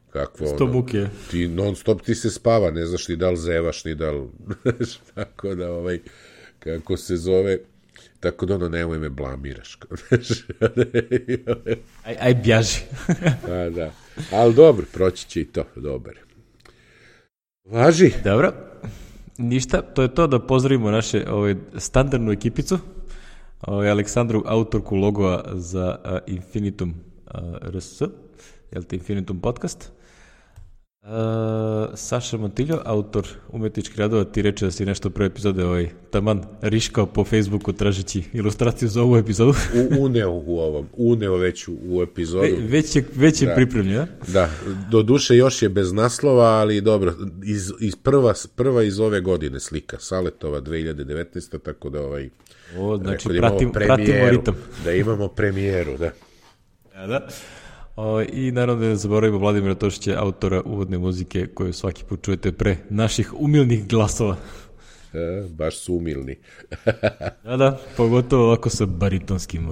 [SPEAKER 2] kakvo,
[SPEAKER 1] sto buke.
[SPEAKER 2] Ti non stop ti se spava, ne znaš ni da li zevaš, ni da li, tako da, kako se zove, tako da nemoj me blamiraš.
[SPEAKER 1] Aj bjaži.
[SPEAKER 2] Da. Ali dobro, proći će i to, dobar. Važi.
[SPEAKER 1] Dobro. Ništa, to je to, da pozdravimo naše standardnu ekipicu, Aleksandru, autorku logoa za Infinitum RS, jel te Infinitum podcast, Saša Montiljo, autor umetničkih radova, ti reče da si nešto prve epizode taman riškao po Facebooku tražeći ilustraciju za ovu epizodu.
[SPEAKER 2] Uneo već u epizodu.
[SPEAKER 1] Već je pripremljena.
[SPEAKER 2] Da, do duše još je bez naslova, ali dobro, prva iz ove godine slika, Saletova 2019. Tako da
[SPEAKER 1] znači pratimo ritam.
[SPEAKER 2] Da imamo premijeru, da.
[SPEAKER 1] Da. I naravno da ne zaboravimo Vladimira Tošića, autora uvodne muzike koju svaki put čujete pre naših umilnih glasova.
[SPEAKER 2] Baš su umilni.
[SPEAKER 1] Da, pogotovo ovako sa baritonskim.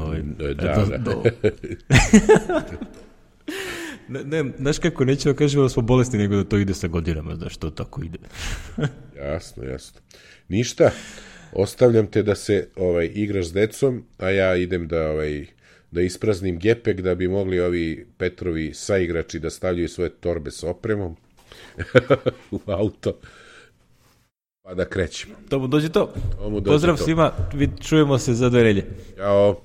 [SPEAKER 1] Ne, znaš kako, nećemo da kažemo da smo bolesni, nego da to ide sa godinama, znaš, to tako ide.
[SPEAKER 2] Jasno. Ništa, ostavljam te da se igraš s decom, a ja idem da ispraznim gepek da bi mogli ovi Petrovi saigrači da stavljaju svoje torbe s opremom u auto, pa da krećemo.
[SPEAKER 1] Tomu dođe to. Pozdrav svima, čujemo se za 2 nedelje.
[SPEAKER 2] Ćao.